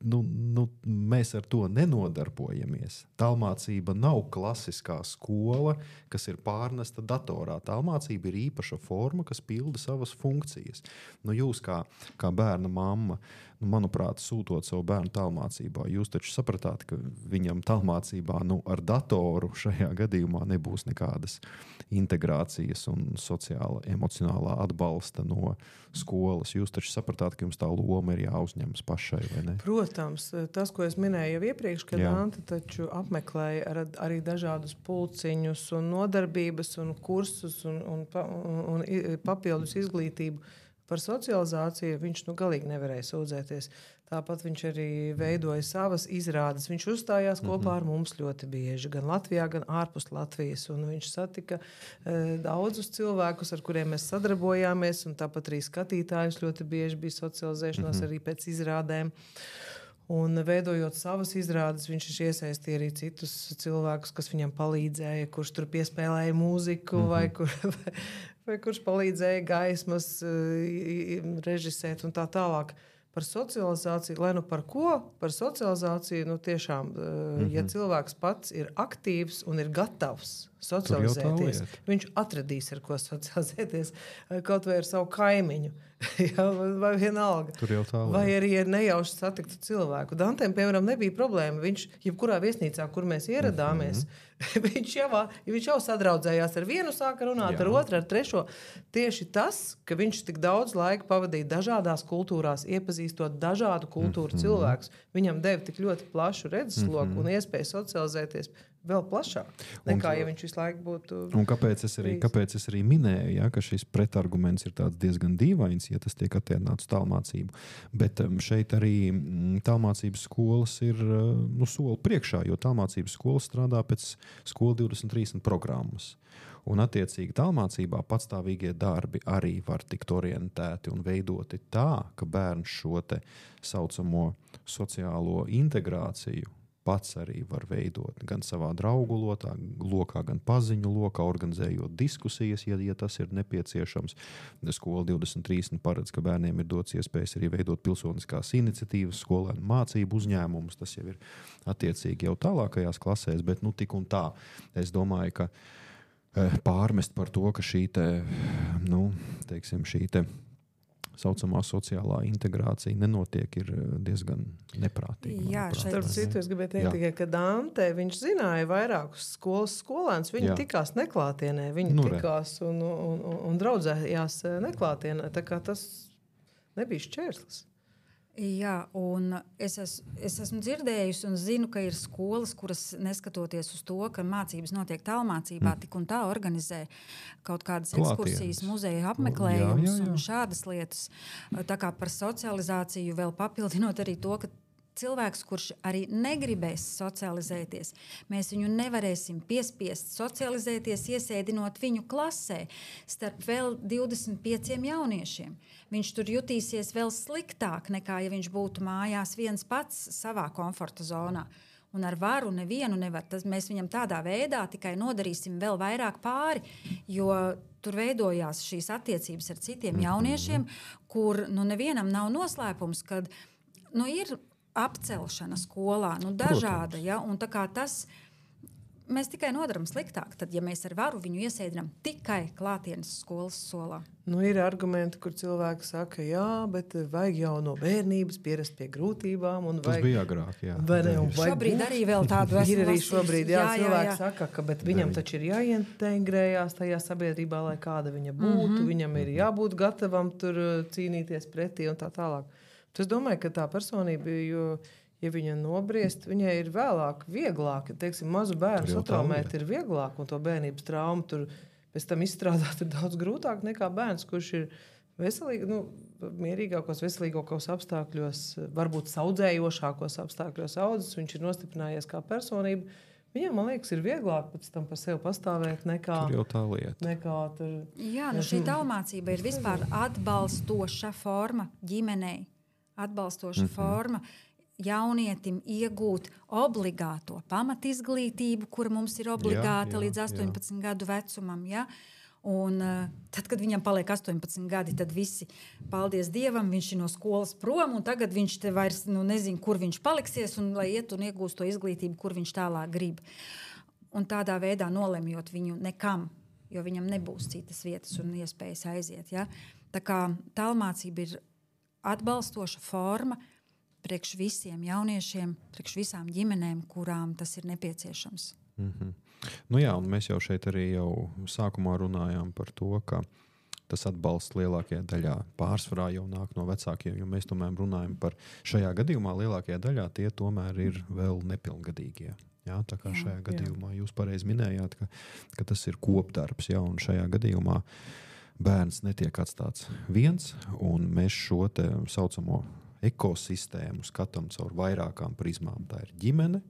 mēs ar to nenodarbojamies. Tālmācība nav klasiskā skola, kas ir pārnesta datorā. Tālmācība ir īpaša forma, kas pilda savas funkcijas. Jūs kā bērna mamma, manuprāt, sūtot savu bērnu tālmācībā, jūs taču sapratāt, ka viņam tālmācībā ar datoru šajā gadījumā nebūs nekādas integrācijas un sociāla, emocionālā atbalsta no skolas. Jūs taču sapratāt, ka jums tā loma ir jāuzņemas pašai, vai ne? Protams, tas, ko es minēju jau iepriekš, kad Anta taču apmeklēja arī dažādus pulciņus un nodarbības un kursus un papildus izglītību par socializāciju, viņš galīgi nevarēja sūdzēties. Tāpat viņš arī veidoja savas izrādes. Viņš uzstājās kopā ar mums ļoti bieži, gan Latvijā, gan ārpus Latvijas. Un viņš satika daudzus cilvēkus, ar kuriem mēs sadarbojāmies, un tāpat arī skatītājus ļoti bieži bija socializēšanās arī pēc izrādēm. Un veidojot savas izrādes, viņš iesaistīja arī citus cilvēkus, kas viņam palīdzēja, kurš tur piespēlēja mūziku vai kurš palīdzēja gaismas režisēt un tā tālāk. Par socializāciju, lai par ko? Par socializāciju, tiešām, ja cilvēks pats ir aktīvs un ir gatavs socializēties. Viņš atradīs, ar ko socializēties, kaut vai ar savu kaimiņu. Jā, vai vienalga. Vai arī ar nejauši satiktu cilvēku. Dantēm, piemēram, nebija problēma. Viņš, jebkurā viesnīcā, kur mēs ieradāmies, viņš jau sadraudzējās ar vienu, sāka runāt ar otru, ar trešo. Tieši tas, ka viņš tik daudz laika pavadīja dažādās kultūrās, iepazīstot dažādu kultūru cilvēkus, viņam deva tik ļoti plašu redzesloku un iespēju socializēties vēl plašāk, nekā ja viņš visu laiku būtu... Un kāpēc es arī minēju, ja, ka šis pretarguments ir tāds diezgan dīvains, ja tas tiek attiecināts tālmācību. Bet šeit arī tālmācības skolas ir soli priekšā, jo tālmācības skolas strādā pēc skola 2030 programmas. Un attiecīgi tālmācībā patstāvīgie darbi arī var tikt orientēti un veidoti tā, ka bērns šo te saucamo sociālo integrāciju pats arī var veidot gan savā draugu lokā, gan paziņu lokā, organizējot diskusijas, ja tas ir nepieciešams. Skola 2030 paredz, ka bērniem ir dots iespējas arī veidot pilsoniskās iniciatīvas, skolēnu mācību uzņēmumus. Tas jau ir attiecīgi jau tālākajās klasēs, bet tik un tā. Es domāju, ka pārmest par to, ka šī saucamā sociālā integrācija nenotiek, ir diezgan neprātīgi. Jā, starp citu, es gribēju teikt tikai, ka Dante, viņš zināja vairākus skolēnus, viņi tikās neklātienē, viņi tikās un draudzējās neklātienē, tā kā tas nebija šķērslis. Jā, un es esmu dzirdējusi un zinu, ka ir skolas, kuras neskatoties uz to, ka mācības notiek tālmācībā, tik un tā organizē kaut kādas ekskursijas, muzeja apmeklējumus un šādas lietas. Tā kā par socializāciju vēl papildinot arī to, ka cilvēks, kurš arī negribēs socializēties, mēs viņu nevarēsim piespiest socializēties, iesēdinot viņu klasē starp vēl 25 jauniešiem. Viņš tur jutīsies vēl sliktāk, nekā ja viņš būtu mājās viens pats savā komforta zonā. Un ar varu nevienu nevar. Mēs viņam tādā veidā tikai nodarīsim vēl vairāk pāri, jo tur veidojās šīs attiecības ar citiem jauniešiem, kur nevienam nav noslēpums, kad ir apcelšana skolā, dažāda, ja, un tā kā tas mēs tikai nodaram sliktāk, tad, ja mēs ar varu viņu iesēdinām tikai klātienes skolas solā. Ir argumenti, kur cilvēki saka, jā, bet vajag jau no bērnības pierast pie grūtībām. Tas bija agrāk, jā. Šobrīd arī vēl tādu ir arī šobrīd, cilvēki saka, ka viņam taču ir jāintegrējās tajā sabiedrībā, lai kāda viņa būtu, viņam ir jābūt gatavam tur cīnīties pretī un tā tālāk. Es domāju, ka tā personība, ja viņa nobriest, viņai ir vieglāk. Teiksim, mazu bērnu satraumēt ir vieglāk, un to bērnības traumu tur pēc tam izstrādāt ir daudz grūtāk nekā bērns, kurš ir veselīgi, mierīgākos, veselīgākos apstākļos, varbūt saudzējošākos apstākļos audzis, viņš ir nostiprinājies kā personība. Viņam, man liekas, ir vieglāk pēc tam par sevi pastāvēt nekā... Tur jau tā lieta. Jā, šī tālmācība ir vispār atbalstoša forma ģimenei. Atbalstoša forma jaunietim iegūt obligāto pamatizglītību, kura mums ir obligāta līdz 18 gadu vecumam. Ja? Un tad, kad viņam paliek 18 gadi, tad visi, paldies Dievam, viņš ir no skolas prom, un tagad viņš te vairs nezin, kur viņš paliksies, un lai iet un iegūst to izglītību, kur viņš tālāk grib. Un tādā veidā nolemjot viņu nekam, jo viņam nebūs citas vietas un iespējas aiziet. Ja? Tā kā tālmācība ir atbalstoša forma priekš visiem jauniešiem, priekš visām ģimenēm, kurām tas ir nepieciešams. Jā, un mēs jau šeit arī sākumā runājām par to, ka tas atbalsts lielākajā daļā pārsvarā jau nāk no vecākiem, jo mēs tomēr runājam par šajā gadījumā lielākajā daļā tie tomēr ir vēl nepilngadīgie. Jā, tā kā šajā gadījumā jūs pareizi minējāt, ka tas ir kopdarbs, un šajā gadījumā bērns netiek atstāts viens, un mēs šo te saucamo ekosistēmu skatām caur vairākām prizmām. Tā ir ģimene,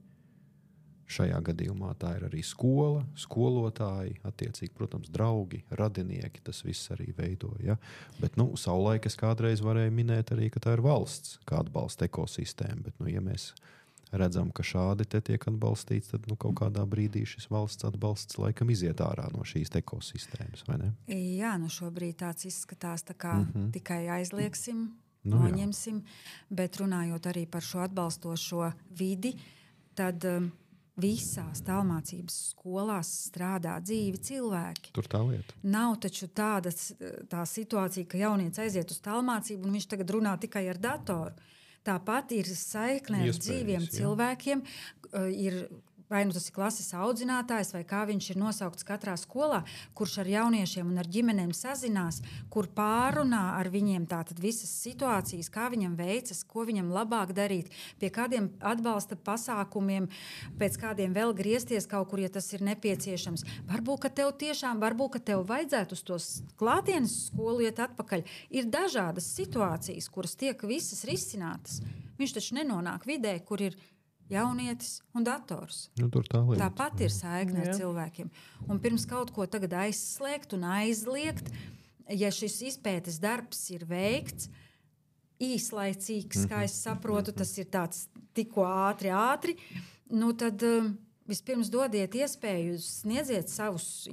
šajā gadījumā tā ir arī skola, skolotāji, attiecīgi, protams, draugi, radinieki, tas viss arī veido. Ja? Bet savulaik es kādreiz varēju minēt arī, ka tā ir valsts, kā atbalsta ekosistēma, bet ja mēs redzam, ka šādi te tiek atbalstīts, tad kaut kādā brīdī šis valsts atbalsts laikam iziet ārā no šīs ekosistēmas, vai ne? Jā, šobrīd tāds izskatās, tā kā tikai aizliegsim, noņemsim, bet runājot arī par šo atbalstošo vidi, tad visās tālmācības skolās strādā dzīvi cilvēki. Tur tā lieta. Nav taču tā situācija, ka jaunietis aiziet uz tālmācību un viņš tagad runā tikai ar datoru. Tāpat ir saikne ar dzīviem cilvēkiem, ir vai nu tas ir klases audzinātājs, vai kā viņš ir nosaukts katrā skolā, kurš ar jauniešiem un ar ģimenēm sazinās, kur pārunā ar viņiem tātad visas situācijas, kā viņam veicas, ko viņam labāk darīt, pie kādiem atbalsta pasākumiem, pēc kādiem vēl griezties kaut kur, ja tas ir nepieciešams. Varbūt, ka tev vajadzētu uz tos klātienes skolu iet atpakaļ. Ir dažādas situācijas, kuras tiek visas risinātas. Viņš taču nenonāk vidē, kur ir jaunietis un dators. Tāpat ir saikne ar cilvēkiem. Un pirms kaut ko tagad aizslēgt un aizliegt, ja šis izpētes darbs ir veikts, īslaicīgs, kā es saprotu, tas ir tāds tikko ātri, nu tad vispirms dodiet iespēju, sniedziet savus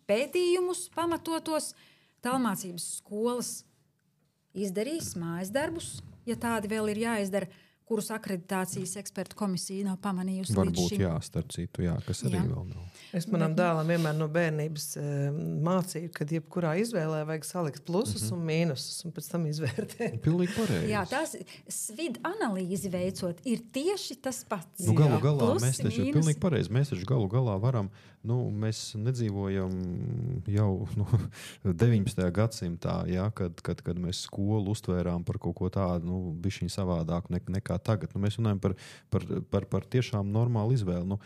pētījumus pamatotos, tālmācības skolas izdarīs mājas darbus, ja tādi vēl ir jāizdara, kurus akreditācijas ekspertu komisija nav pamanījusi līdz šim. Varbūt starp citu, kas arī vēl nav. Es manam dēlam vienmēr no bērnības mācīju, ka jebkurā izvēlē vajag salikt plusus un mīnusus un pēc tam izvērtēt. Pilnīgi pareizi. Jā, tās SWID analīzi veicot ir tieši tas pats. Galu galā mēs taču pilnīgi pareizi. Mēs taču galu galā varam, mēs nedzīvojam jau 19. gadsimtā, kad mēs skolu uztvērām par kaut ko tādu, bišķiņ savādāku nekā tagad. Mēs runājam par tiešām normālu izvēli.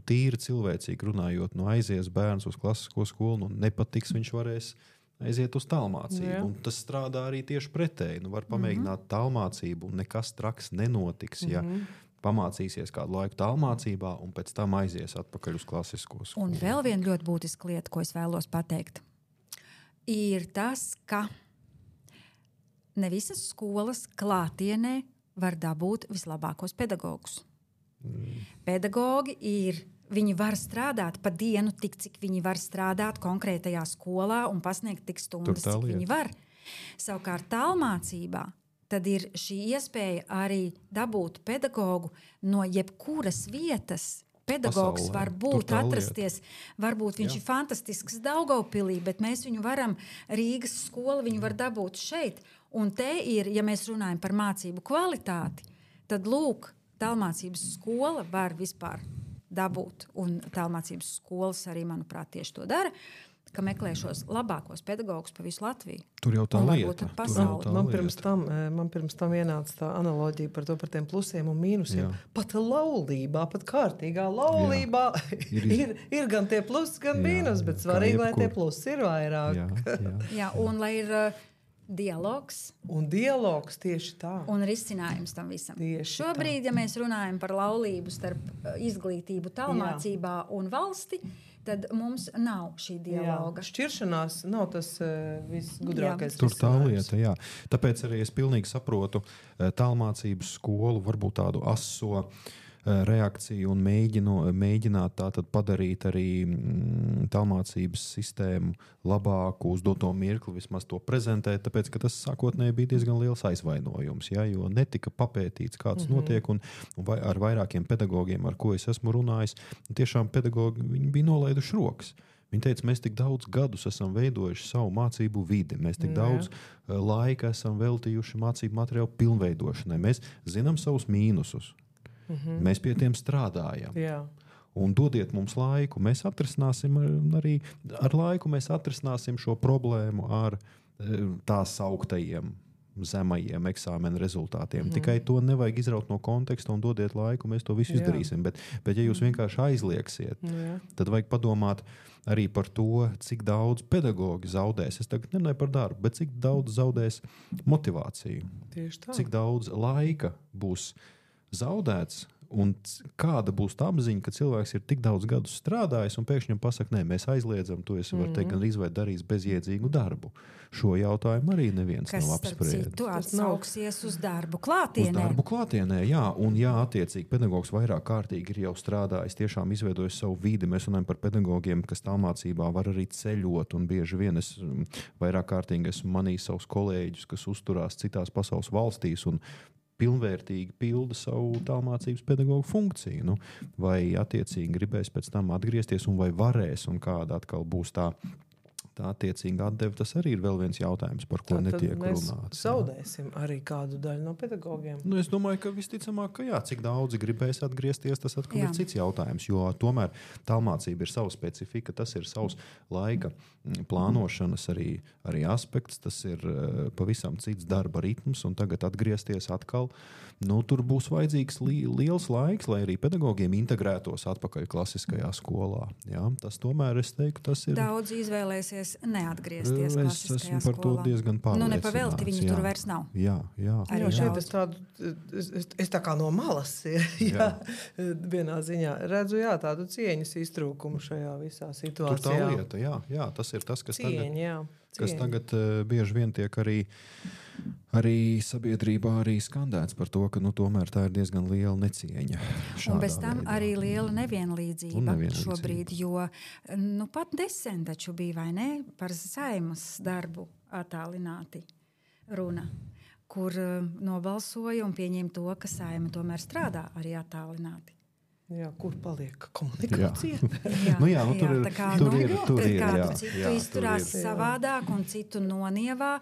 Tīri cilvēcīgi runājot, aizies bērns uz klasisko skolu, nepatiks, viņš varēs aiziet uz tālmācību. Un tas strādā arī tieši pretēji. Var pamēģināt tālmācību un nekas traks nenotiks, ja pamācīsies kādu laiku tālmācībā un pēc tam aizies atpakaļ uz klasisko skolu. Un vēl viena ļoti būtiska lieta, ko es vēlos pateikt, ir tas, ka ne visas skolas klātienē var dabūt vislabākos pedagogus. Pedagogi viņi var strādāt pa dienu tik, cik viņi var strādāt konkrētajā skolā un pasniegt tik stundas, cik viņi var. Savukārt tālmācībā tad ir šī iespēja arī dabūt pedagogu no jebkuras vietas. Pedagogs var būt atrasties, varbūt viņš ir fantastisks Daugavpilī, bet mēs viņu varam, Rīgas skola viņu var dabūt šeit. Un te ir, ja mēs runājam par mācību kvalitāti, tad lūk, tālmācības skola var vispār dabūt. Un tālmācības skolas arī, manuprāt, tieši to dara, ka meklē šos labākos pedagogus pa visu Latviju. Tur jau tā lieta. Man pirms tam ienāca tā analoģija par tiem plusiem un mīnusiem. Pat laulībā, pat kārtīgā laulībā ir gan tie plusi, gan mīnus, bet svarīgi, lai tie plusi ir vairāk. Jā, un lai ir dialogs. Un dialogs tieši tā. Un risinājums tam visam. Tieši šobrīd, ja mēs runājam par laulību starp izglītību tālmācībā un valsti, tad mums nav šī dialoga. Šķiršanās nav tas visgudrākais. Tur tā lieta, Tāpēc arī es pilnīgi saprotu tālmācības skolu, varbūt tādu aso reakciju un mēģināt tātad padarīt arī tālmācības sistēmu labāku, uz doto mirkli vismaz to prezentēt, tāpēc, ka tas sākotnēji bija diezgan liels aizvainojums, jo netika papētīts, kāds notiek, un ar vairākiem pedagogiem, ar ko es esmu runājis, tiešām pedagogi, viņi bija nolaiduši rokas. Viņi teica, mēs tik daudz gadus esam veidojuši savu mācību vidi, mēs tik daudz laika esam veltījuši mācību materiālu pilnveidošanai, mēs zinām savus mīnusus. Mēs pie tiem strādājam. Un dodiet mums laiku. Mēs atrisināsim arī ar laiku mēs atrisināsim šo problēmu ar tā sauktajiem zemajiem eksāmena rezultātiem. Tikai to nevajag izraut no konteksta un dodiet laiku, mēs to visu izdarīsim. Bet ja jūs vienkārši aizlieksiet, tad vajag padomāt arī par to, cik daudz pedagogi zaudēs. Es tagad nerunāju par darbu, bet cik daudz zaudēs motivāciju. Tieši tā. Cik daudz laika būs zaudēts un kāda būs tā apziņa, ka cilvēks ir tik daudz gadus strādājis un pēkšņi pasaka, nē, mēs aizliedzam, to es varu teikt, gan izvērt darīs bezjēdzīgu darbu. Šo jautājumu arī neviens nav apspriedis. Kas, starp citu, atsauksies uz darbu klātienē. Uz darbu klātienē, un attiecīgi pedagogs vairāk kārtīgi ir jau strādājis, tiešām izveidojis savu vidi. Mēs runājam par pedagogiem, kas tālmācībā var arī ceļot, un bieži vien es vairāk kārtīgi esmu manījis savus kolēģus, kas uzturās citās pasaules valstīs, un pilnvērtīgi pilda savu tālmācības pedagogu funkciju. Nu, vai attiecīgi gribēs pēc tam atgriezties un vai varēs un kāda atkal būs tā attiecīga atdeve, tas arī ir vēl viens jautājums, par ko netiek runāts. Mēs zaudēsim arī kādu daļu no pedagogiem. Nu, es domāju, ka visticamāk, ka jā, cik daudzi gribēs atgriezties, tas atkal ir cits jautājums, jo tomēr tālmācība ir sava specifika, tas ir savs laika plānošanas arī aspekts, tas ir pavisam cits darba ritms, un tagad atgriezties atkal, tur būs vajadzīgs liels laiks, lai arī pedagogiem integrētos atpakaļ klasiskajā skolā. Jā, tas tomēr, es teiktu, tas ir... Daudz izvēlēsies neatgriezties klasiskajā skolā. Es esmu par to diezgan pārliecināts. Nepavēlti viņi tur vairs nav. Jā. Arī šeit es tā kā no malas vienā ziņā redzu tādu cieņas iztrūkumu šajā visā situācijā. Tur tā lieta, jā, tas ir tas, kas tagad bieži vien tiek arī sabiedrībā arī skandēts par to, ka tomēr tā ir diezgan liela necieņa. Un bez tam arī liela nevienlīdzība šobrīd, jo pat nesen taču bija, vai ne, par Saeimas darbu attālināti runa, kur nobalsoja un pieņēma to, ka Saeima tomēr strādā arī attālināti. Jā, kur paliek komunikācija? Tur ir kādu citu izturās savādāk un citu nonievā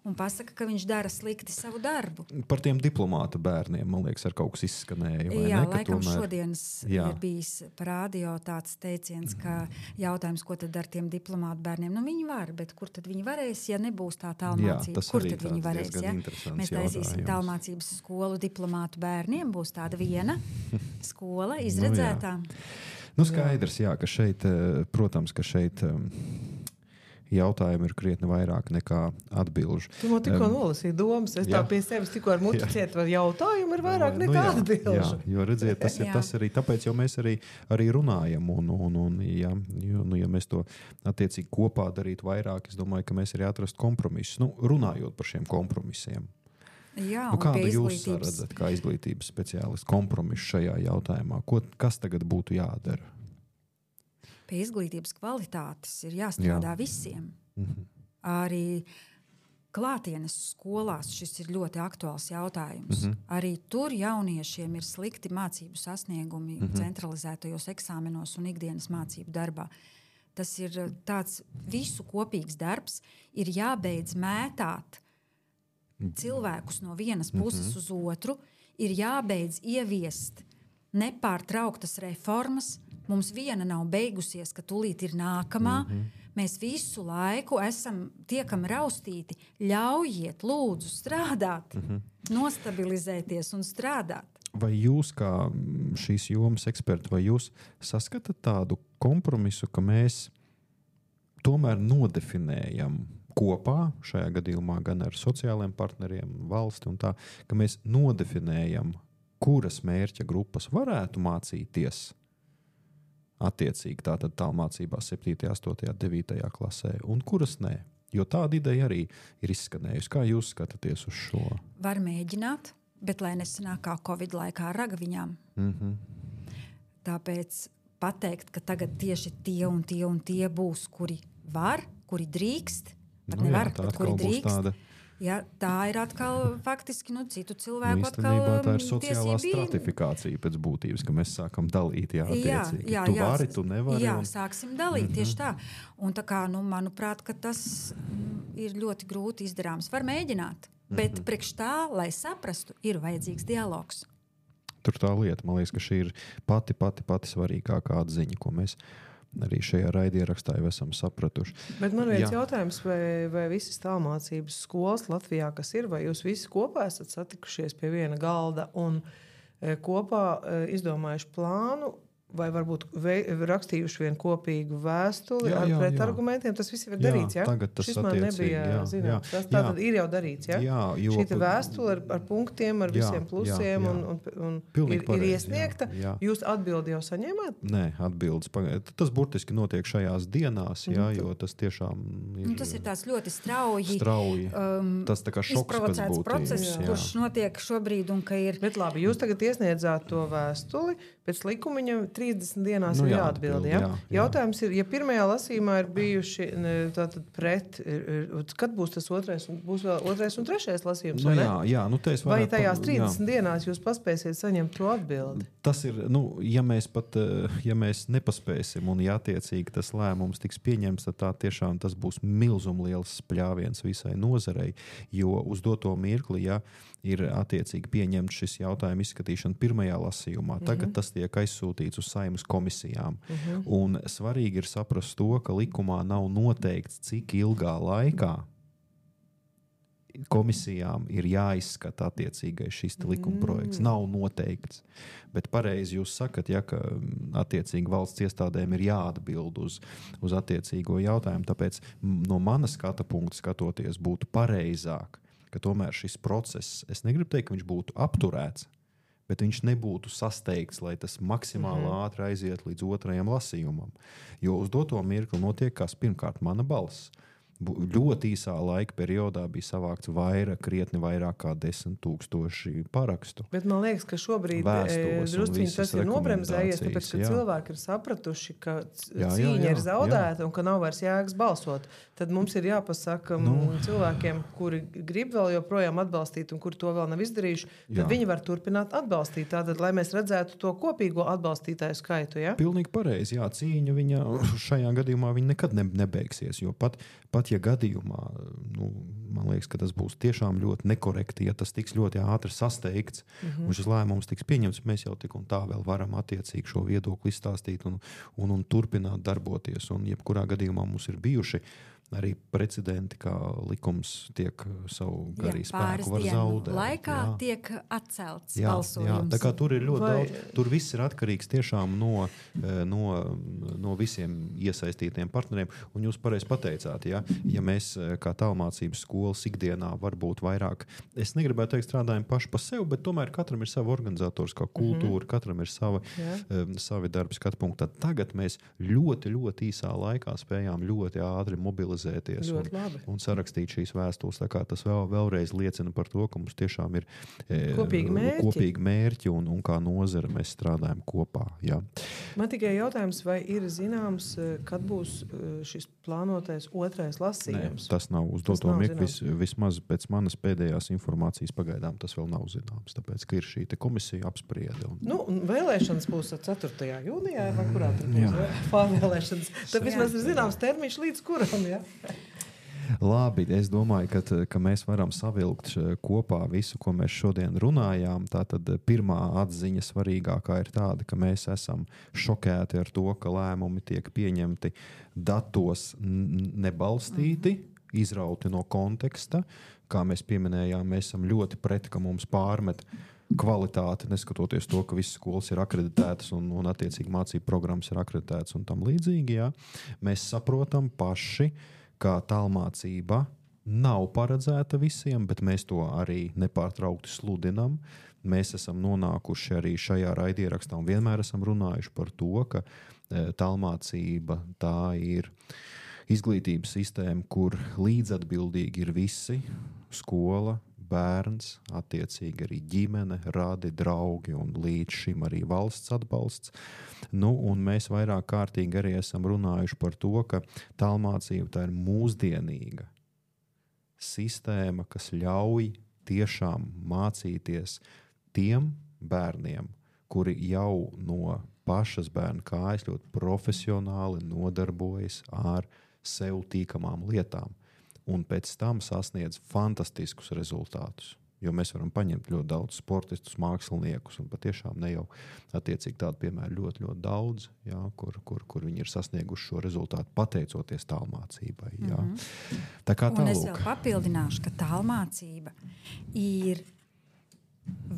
un pasaka, ka viņš dara slikti savu darbu. Par tiem diplomāta bērniem, man liekas, ar kaut kas izskanēja. Laikam šodienas ir bijis par radio tāds teiciens, ka jautājums, ko tad ar tiem diplomāta bērniem? Viņi var, bet kur tad viņi varēs, ja nebūs tā tālmācība? Kur tad viņi varēs? Mēs taisīsim tālmācības skolu diplomātu bērniem, būs tāda viena skola izredzētā. Skaidrs, ka šeit, protams, ka šeit jautājumi ir krietni vairāk nekā atbilžu. Tu man tikko nolasīji domas, es tā pie sevis tikko ar muti ciet, var jautājumu ir vairāk nekā atbilžu. Jā, jo redziet, tas arī, tāpēc jau mēs arī runājam, ja mēs to attiecīgi kopā darītu vairāk, es domāju, ka mēs arī atrastu kompromisus, runājot par šiem kompromisiem. Jā, kādu jūs redzat kā izglītības speciālisti kompromisu šajā jautājumā? Kas tagad būtu jādara? Pie izglītības kvalitātes ir jāstrādā visiem. Arī klātienes skolās šis ir ļoti aktuāls jautājums. Arī tur jauniešiem ir slikti mācību sasniegumi centralizētajos eksāmenos un ikdienas mācību darbā. Tas ir tāds visu kopīgs darbs, ir jābeidz mētāt cilvēkus no vienas puses uz otru, ir jābeidz ieviest nepārtrauktas reformas. Mums viena nav beigusies, ka tūlīt ir nākamā. Mēs visu laiku tiekam raustīti. Ļaujiet, lūdzu, strādāt, nostabilizēties un strādāt. Vai jūs, kā šīs jomas eksperti, vai jūs saskatāt tādu kompromisu, ka mēs tomēr nodefinējam kopā, šajā gadījumā gan ar sociālajiem partneriem, valsti un tā, ka mēs nodefinējam, kuras mērķa grupas varētu mācīties attiecīgi tātad tālmācībā 7., 8., 9. klasē un kuras nē. Jo tāda ideja arī ir izskanējusi. Kā jūs skatāties uz šo? Var mēģināt, bet lai nesanāk kā Covid laikā ar ragaviņām. Tāpēc pateikt, ka tagad tieši tie un tie būs, kuri var, kuri drīkst, nevar, bet kuri drīkst. Tā ir atkal faktiski citu cilvēku īstenībā tā ir sociālā stratifikācija pēc būtības, ka mēs sākam dalīt attiecīgi. Tu vari, tu nevari. Jā, sāksim dalīt tieši tā. Un tā kā, manuprāt, ka tas ir ļoti grūti izdarāms. Var mēģināt, bet priekš tā, lai saprastu, ir vajadzīgs dialogs. Tur tā lieta, man liekas, ka šī ir pati svarīgākā atziņa, ko mēs arī šajā raidierakstā jau esam sapratuši. Bet man viens jautājums, vai visas tālmācības skolas Latvijā, kas ir, vai jūs visi kopā esat satikušies pie viena galda un kopā izdomājuši plānu, vai varbūt rakstījuši vienu kopīgu vēstuli ar pretargumentiem? Tas viss ir darīts, jā? Tagad tas šis man nebija zināms. Tas tātad ir jau darīts, jā? Šī vēstule ar punktiem, ar visiem plusiem un ir iesniegta. Jūs atbildi jau saņēmāt? Nē, atbildes. Tas burtiski notiek šajās dienās, jo tas tiešām ir... Tas ir tāds ļoti strauji tas tā kā šoks pēc būtības. Process, kurš notiek šobrīd un ka ir... Bet labi, jūs tagad iesniedzāt to vēstuli, pēc likumiņa 30 dienās ir jāatbild. Ja? Jautājums ir, ja pirmajā lasījumā ir bijuši tātad pret, kad būs tas būs vēl otrais un trešais lasījums? Vai tajās 30 dienās jūs paspēsiet saņemt to atbildi? Tas ir, ja mēs nepaspēsim un ja attiecīgi tas lēmums tiks pieņemts, tad tā tiešām tas būs milzumliels spļāviens visai nozarei, jo uz doto mirkli, ja ir attiecīgi pieņemts šis jautājuma izskatīšana pirmajā lasījumā, tagad tas tiek aizsūtīts uz Saeimas komisijām. Un svarīgi ir saprast to, ka likumā nav noteikts, cik ilgā laikā komisijām ir jāizskata attiecīgais šis likuma projekts. Nav noteikts. Bet pareizi jūs sakat, ka attiecīgi valsts iestādēm ir jāatbild uz attiecīgo jautājumu. Tāpēc no mana skata punkta skatoties būtu pareizāk, ka tomēr šis process, es negribu teikt, ka viņš būtu apturēts, bet viņš nebūtu sasteigts, lai tas maksimāli ātri aiziet līdz otrajam lasījumam. Jo uz doto mirkli notiek kas pirmkārt mana balss. Ļoti īsā laika periodā bija savākts krietni vairāk kā 10,000 parakstu. Bet man liekas, ka šobrīd drusciņi tas ir nobremzējies, tāpēc, ka cilvēki ir sapratuši, ka cīņa ir zaudēta un ka nav vairs jēgas balsot. Tad mums ir jāpasaka cilvēkiem, kuri grib vēl joprojām atbalstīt un kuri to vēl nav izdarījuši, tad viņi var turpināt atbalstīt. Tātad, lai mēs redzētu to kopīgo atbalstītāju skaitu. Ja? Pilnīgi pareizi. Cīņa viņa šajā gadījumā viņa nekad nebeigsies, jo pat ja gadījumā, man liekas, ka tas būs tiešām ļoti nekorekti, ja tas tiks ļoti ātri sasteigts un šis lēmums tiks pieņemts, mēs jau tik un tā vēl varam attiecīgi šo viedokli izstāstīt un turpināt darboties. Un jebkurā gadījumā mums ir bijuši arī precedenti, kā likums tiek savu garī spēku var zaudēt. Laikā tiek atcelts balsojums. Tā kā tur ir ļoti daudz, tur viss ir atkarīgs tiešām no visiem iesaistītiem partneriem. Un jūs pareizi pateicāt, ja mēs kā tālmācības skolas ikdienā varbūt vairāk, es negribētu teikt strādājam paši pa sevi, bet tomēr katram ir sava organizatoriskā kultūra, katram ir savi darbi skatpunkti. Tad tagad mēs ļoti, ļoti īsā laikā spējām ļoti ātri mobilizēt un sarakstīt šīs vēstules. Tā kā tas vēlreiz liecina par to, ka mums tiešām ir kopīgi mērķi un kā nozara mēs strādājam kopā. Jā. Man tikai jautājums, vai ir zināms, kad būs šis plānotais otrais lasījums? Nē, tas nav uz doto mirkli. Vismaz pēc manas pēdējās informācijas pagaidām tas vēl nav zināms, tāpēc, ka ir šī komisija apspriede. Vēlēšanas būs 4. jūnijā, vai kurā tur būs pārvēlēšanas. Tad vismaz ir zināms termiņš līdz kuram, ja? Labi, es domāju, ka mēs varam savilkt kopā visu, ko mēs šodien runājām. Tātad pirmā atziņa svarīgākā ir tāda, ka mēs esam šokēti ar to, ka lēmumi tiek pieņemti datos nebalstīti, izrauti no konteksta. Kā mēs pieminējām, mēs esam ļoti pret, ka mums pārmet kvalitāti, neskatoties to, ka visas skolas ir akreditētas un attiecīgi mācību programmas ir akreditētas un tam līdzīgi. Jā. Mēs saprotam paši, ka tālmācība nav paredzēta visiem, bet mēs to arī nepārtraukti sludinam. Mēs esam nonākuši arī šajā raidierakstā un vienmēr esam runājuši par to, ka tālmācība tā ir izglītības sistēma, kur līdzatbildīgi ir visi - skola, bērns, attiecīgi arī ģimene, radi, draugi un līdz šim arī valsts atbalsts. Un mēs vairāk kārtīgi arī esam runājuši par to, ka tālmācība tā ir mūsdienīga sistēma, kas ļauj tiešām mācīties tiem bērniem, kuri jau no pašas bērna kājas ļoti profesionāli nodarbojas ar sev tīkamām lietām. Un pēc tam sasniedz fantastiskus rezultātus. Jo mēs varam paņemt ļoti daudz sportistus, māksliniekus, un patiešām ne jau attiecīgi tādu piemēru ļoti, ļoti daudz, jā, kur viņi ir sasnieguši šo rezultātu pateicoties tālmācībai. Jā. Tā kā un es vēl papildināšu, ka tālmācība ir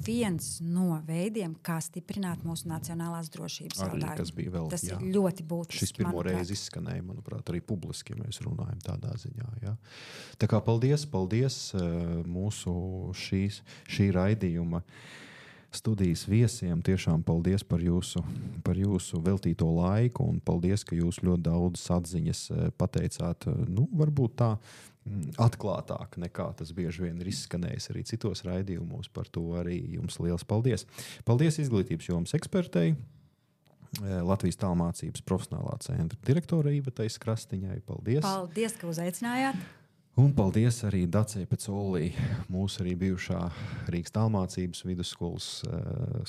viens no veidiem, kā stiprināt mūsu nacionālās drošības jautājumu. Tas ir ļoti būtiski. Šis pirmo reizi izskanēja, manuprāt, arī publiski, ja mēs runājam tādā ziņā. Jā. Tā kā paldies mūsu šī raidījuma studijas viesiem. Tiešām paldies par jūsu veltīto laiku un paldies, ka jūs ļoti daudz atziņas pateicāt. Varbūt tā atklātāk nekā tas bieži vien ir izskanējis arī citos raidījumos. Par to arī jums liels paldies. Paldies izglītības jomas ekspertei Latvijas tālmācības profesionālā centra direktore Ivetai Krastiņai. Paldies! Paldies, ka uzaicinājāt! Un paldies arī Dacei Pecolī, mūsu arī bijušā Rīgas tālmācības vidusskolas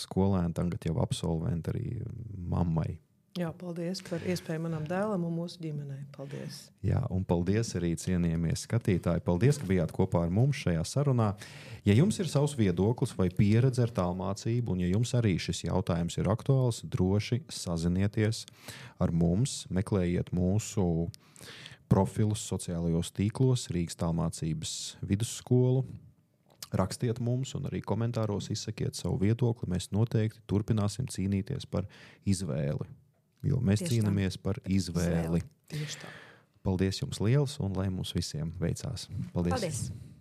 skolēna, tagad jau absolventa arī mammai. Jā, paldies par iespēju manam dēlam un mūsu ģimenei. Paldies! Jā, un paldies arī cienījamie skatītāji. Paldies, ka bijāt kopā ar mums šajā sarunā. Ja jums ir savs viedoklis vai pieredze ar tālmācību, un ja jums arī šis jautājums ir aktuāls, droši sazinieties ar mums, meklējiet mūsu profilus sociālajos tīklos, Rīgas tālmācības vidusskolu, rakstiet mums un arī komentāros izsakiet savu viedokli. Mēs noteikti turpināsim cīnīties par izvēli. Jo mēs cīnāmies par izvēli. Tieši tā. Paldies jums liels un lai mums visiem veicās. Paldies! Paldies.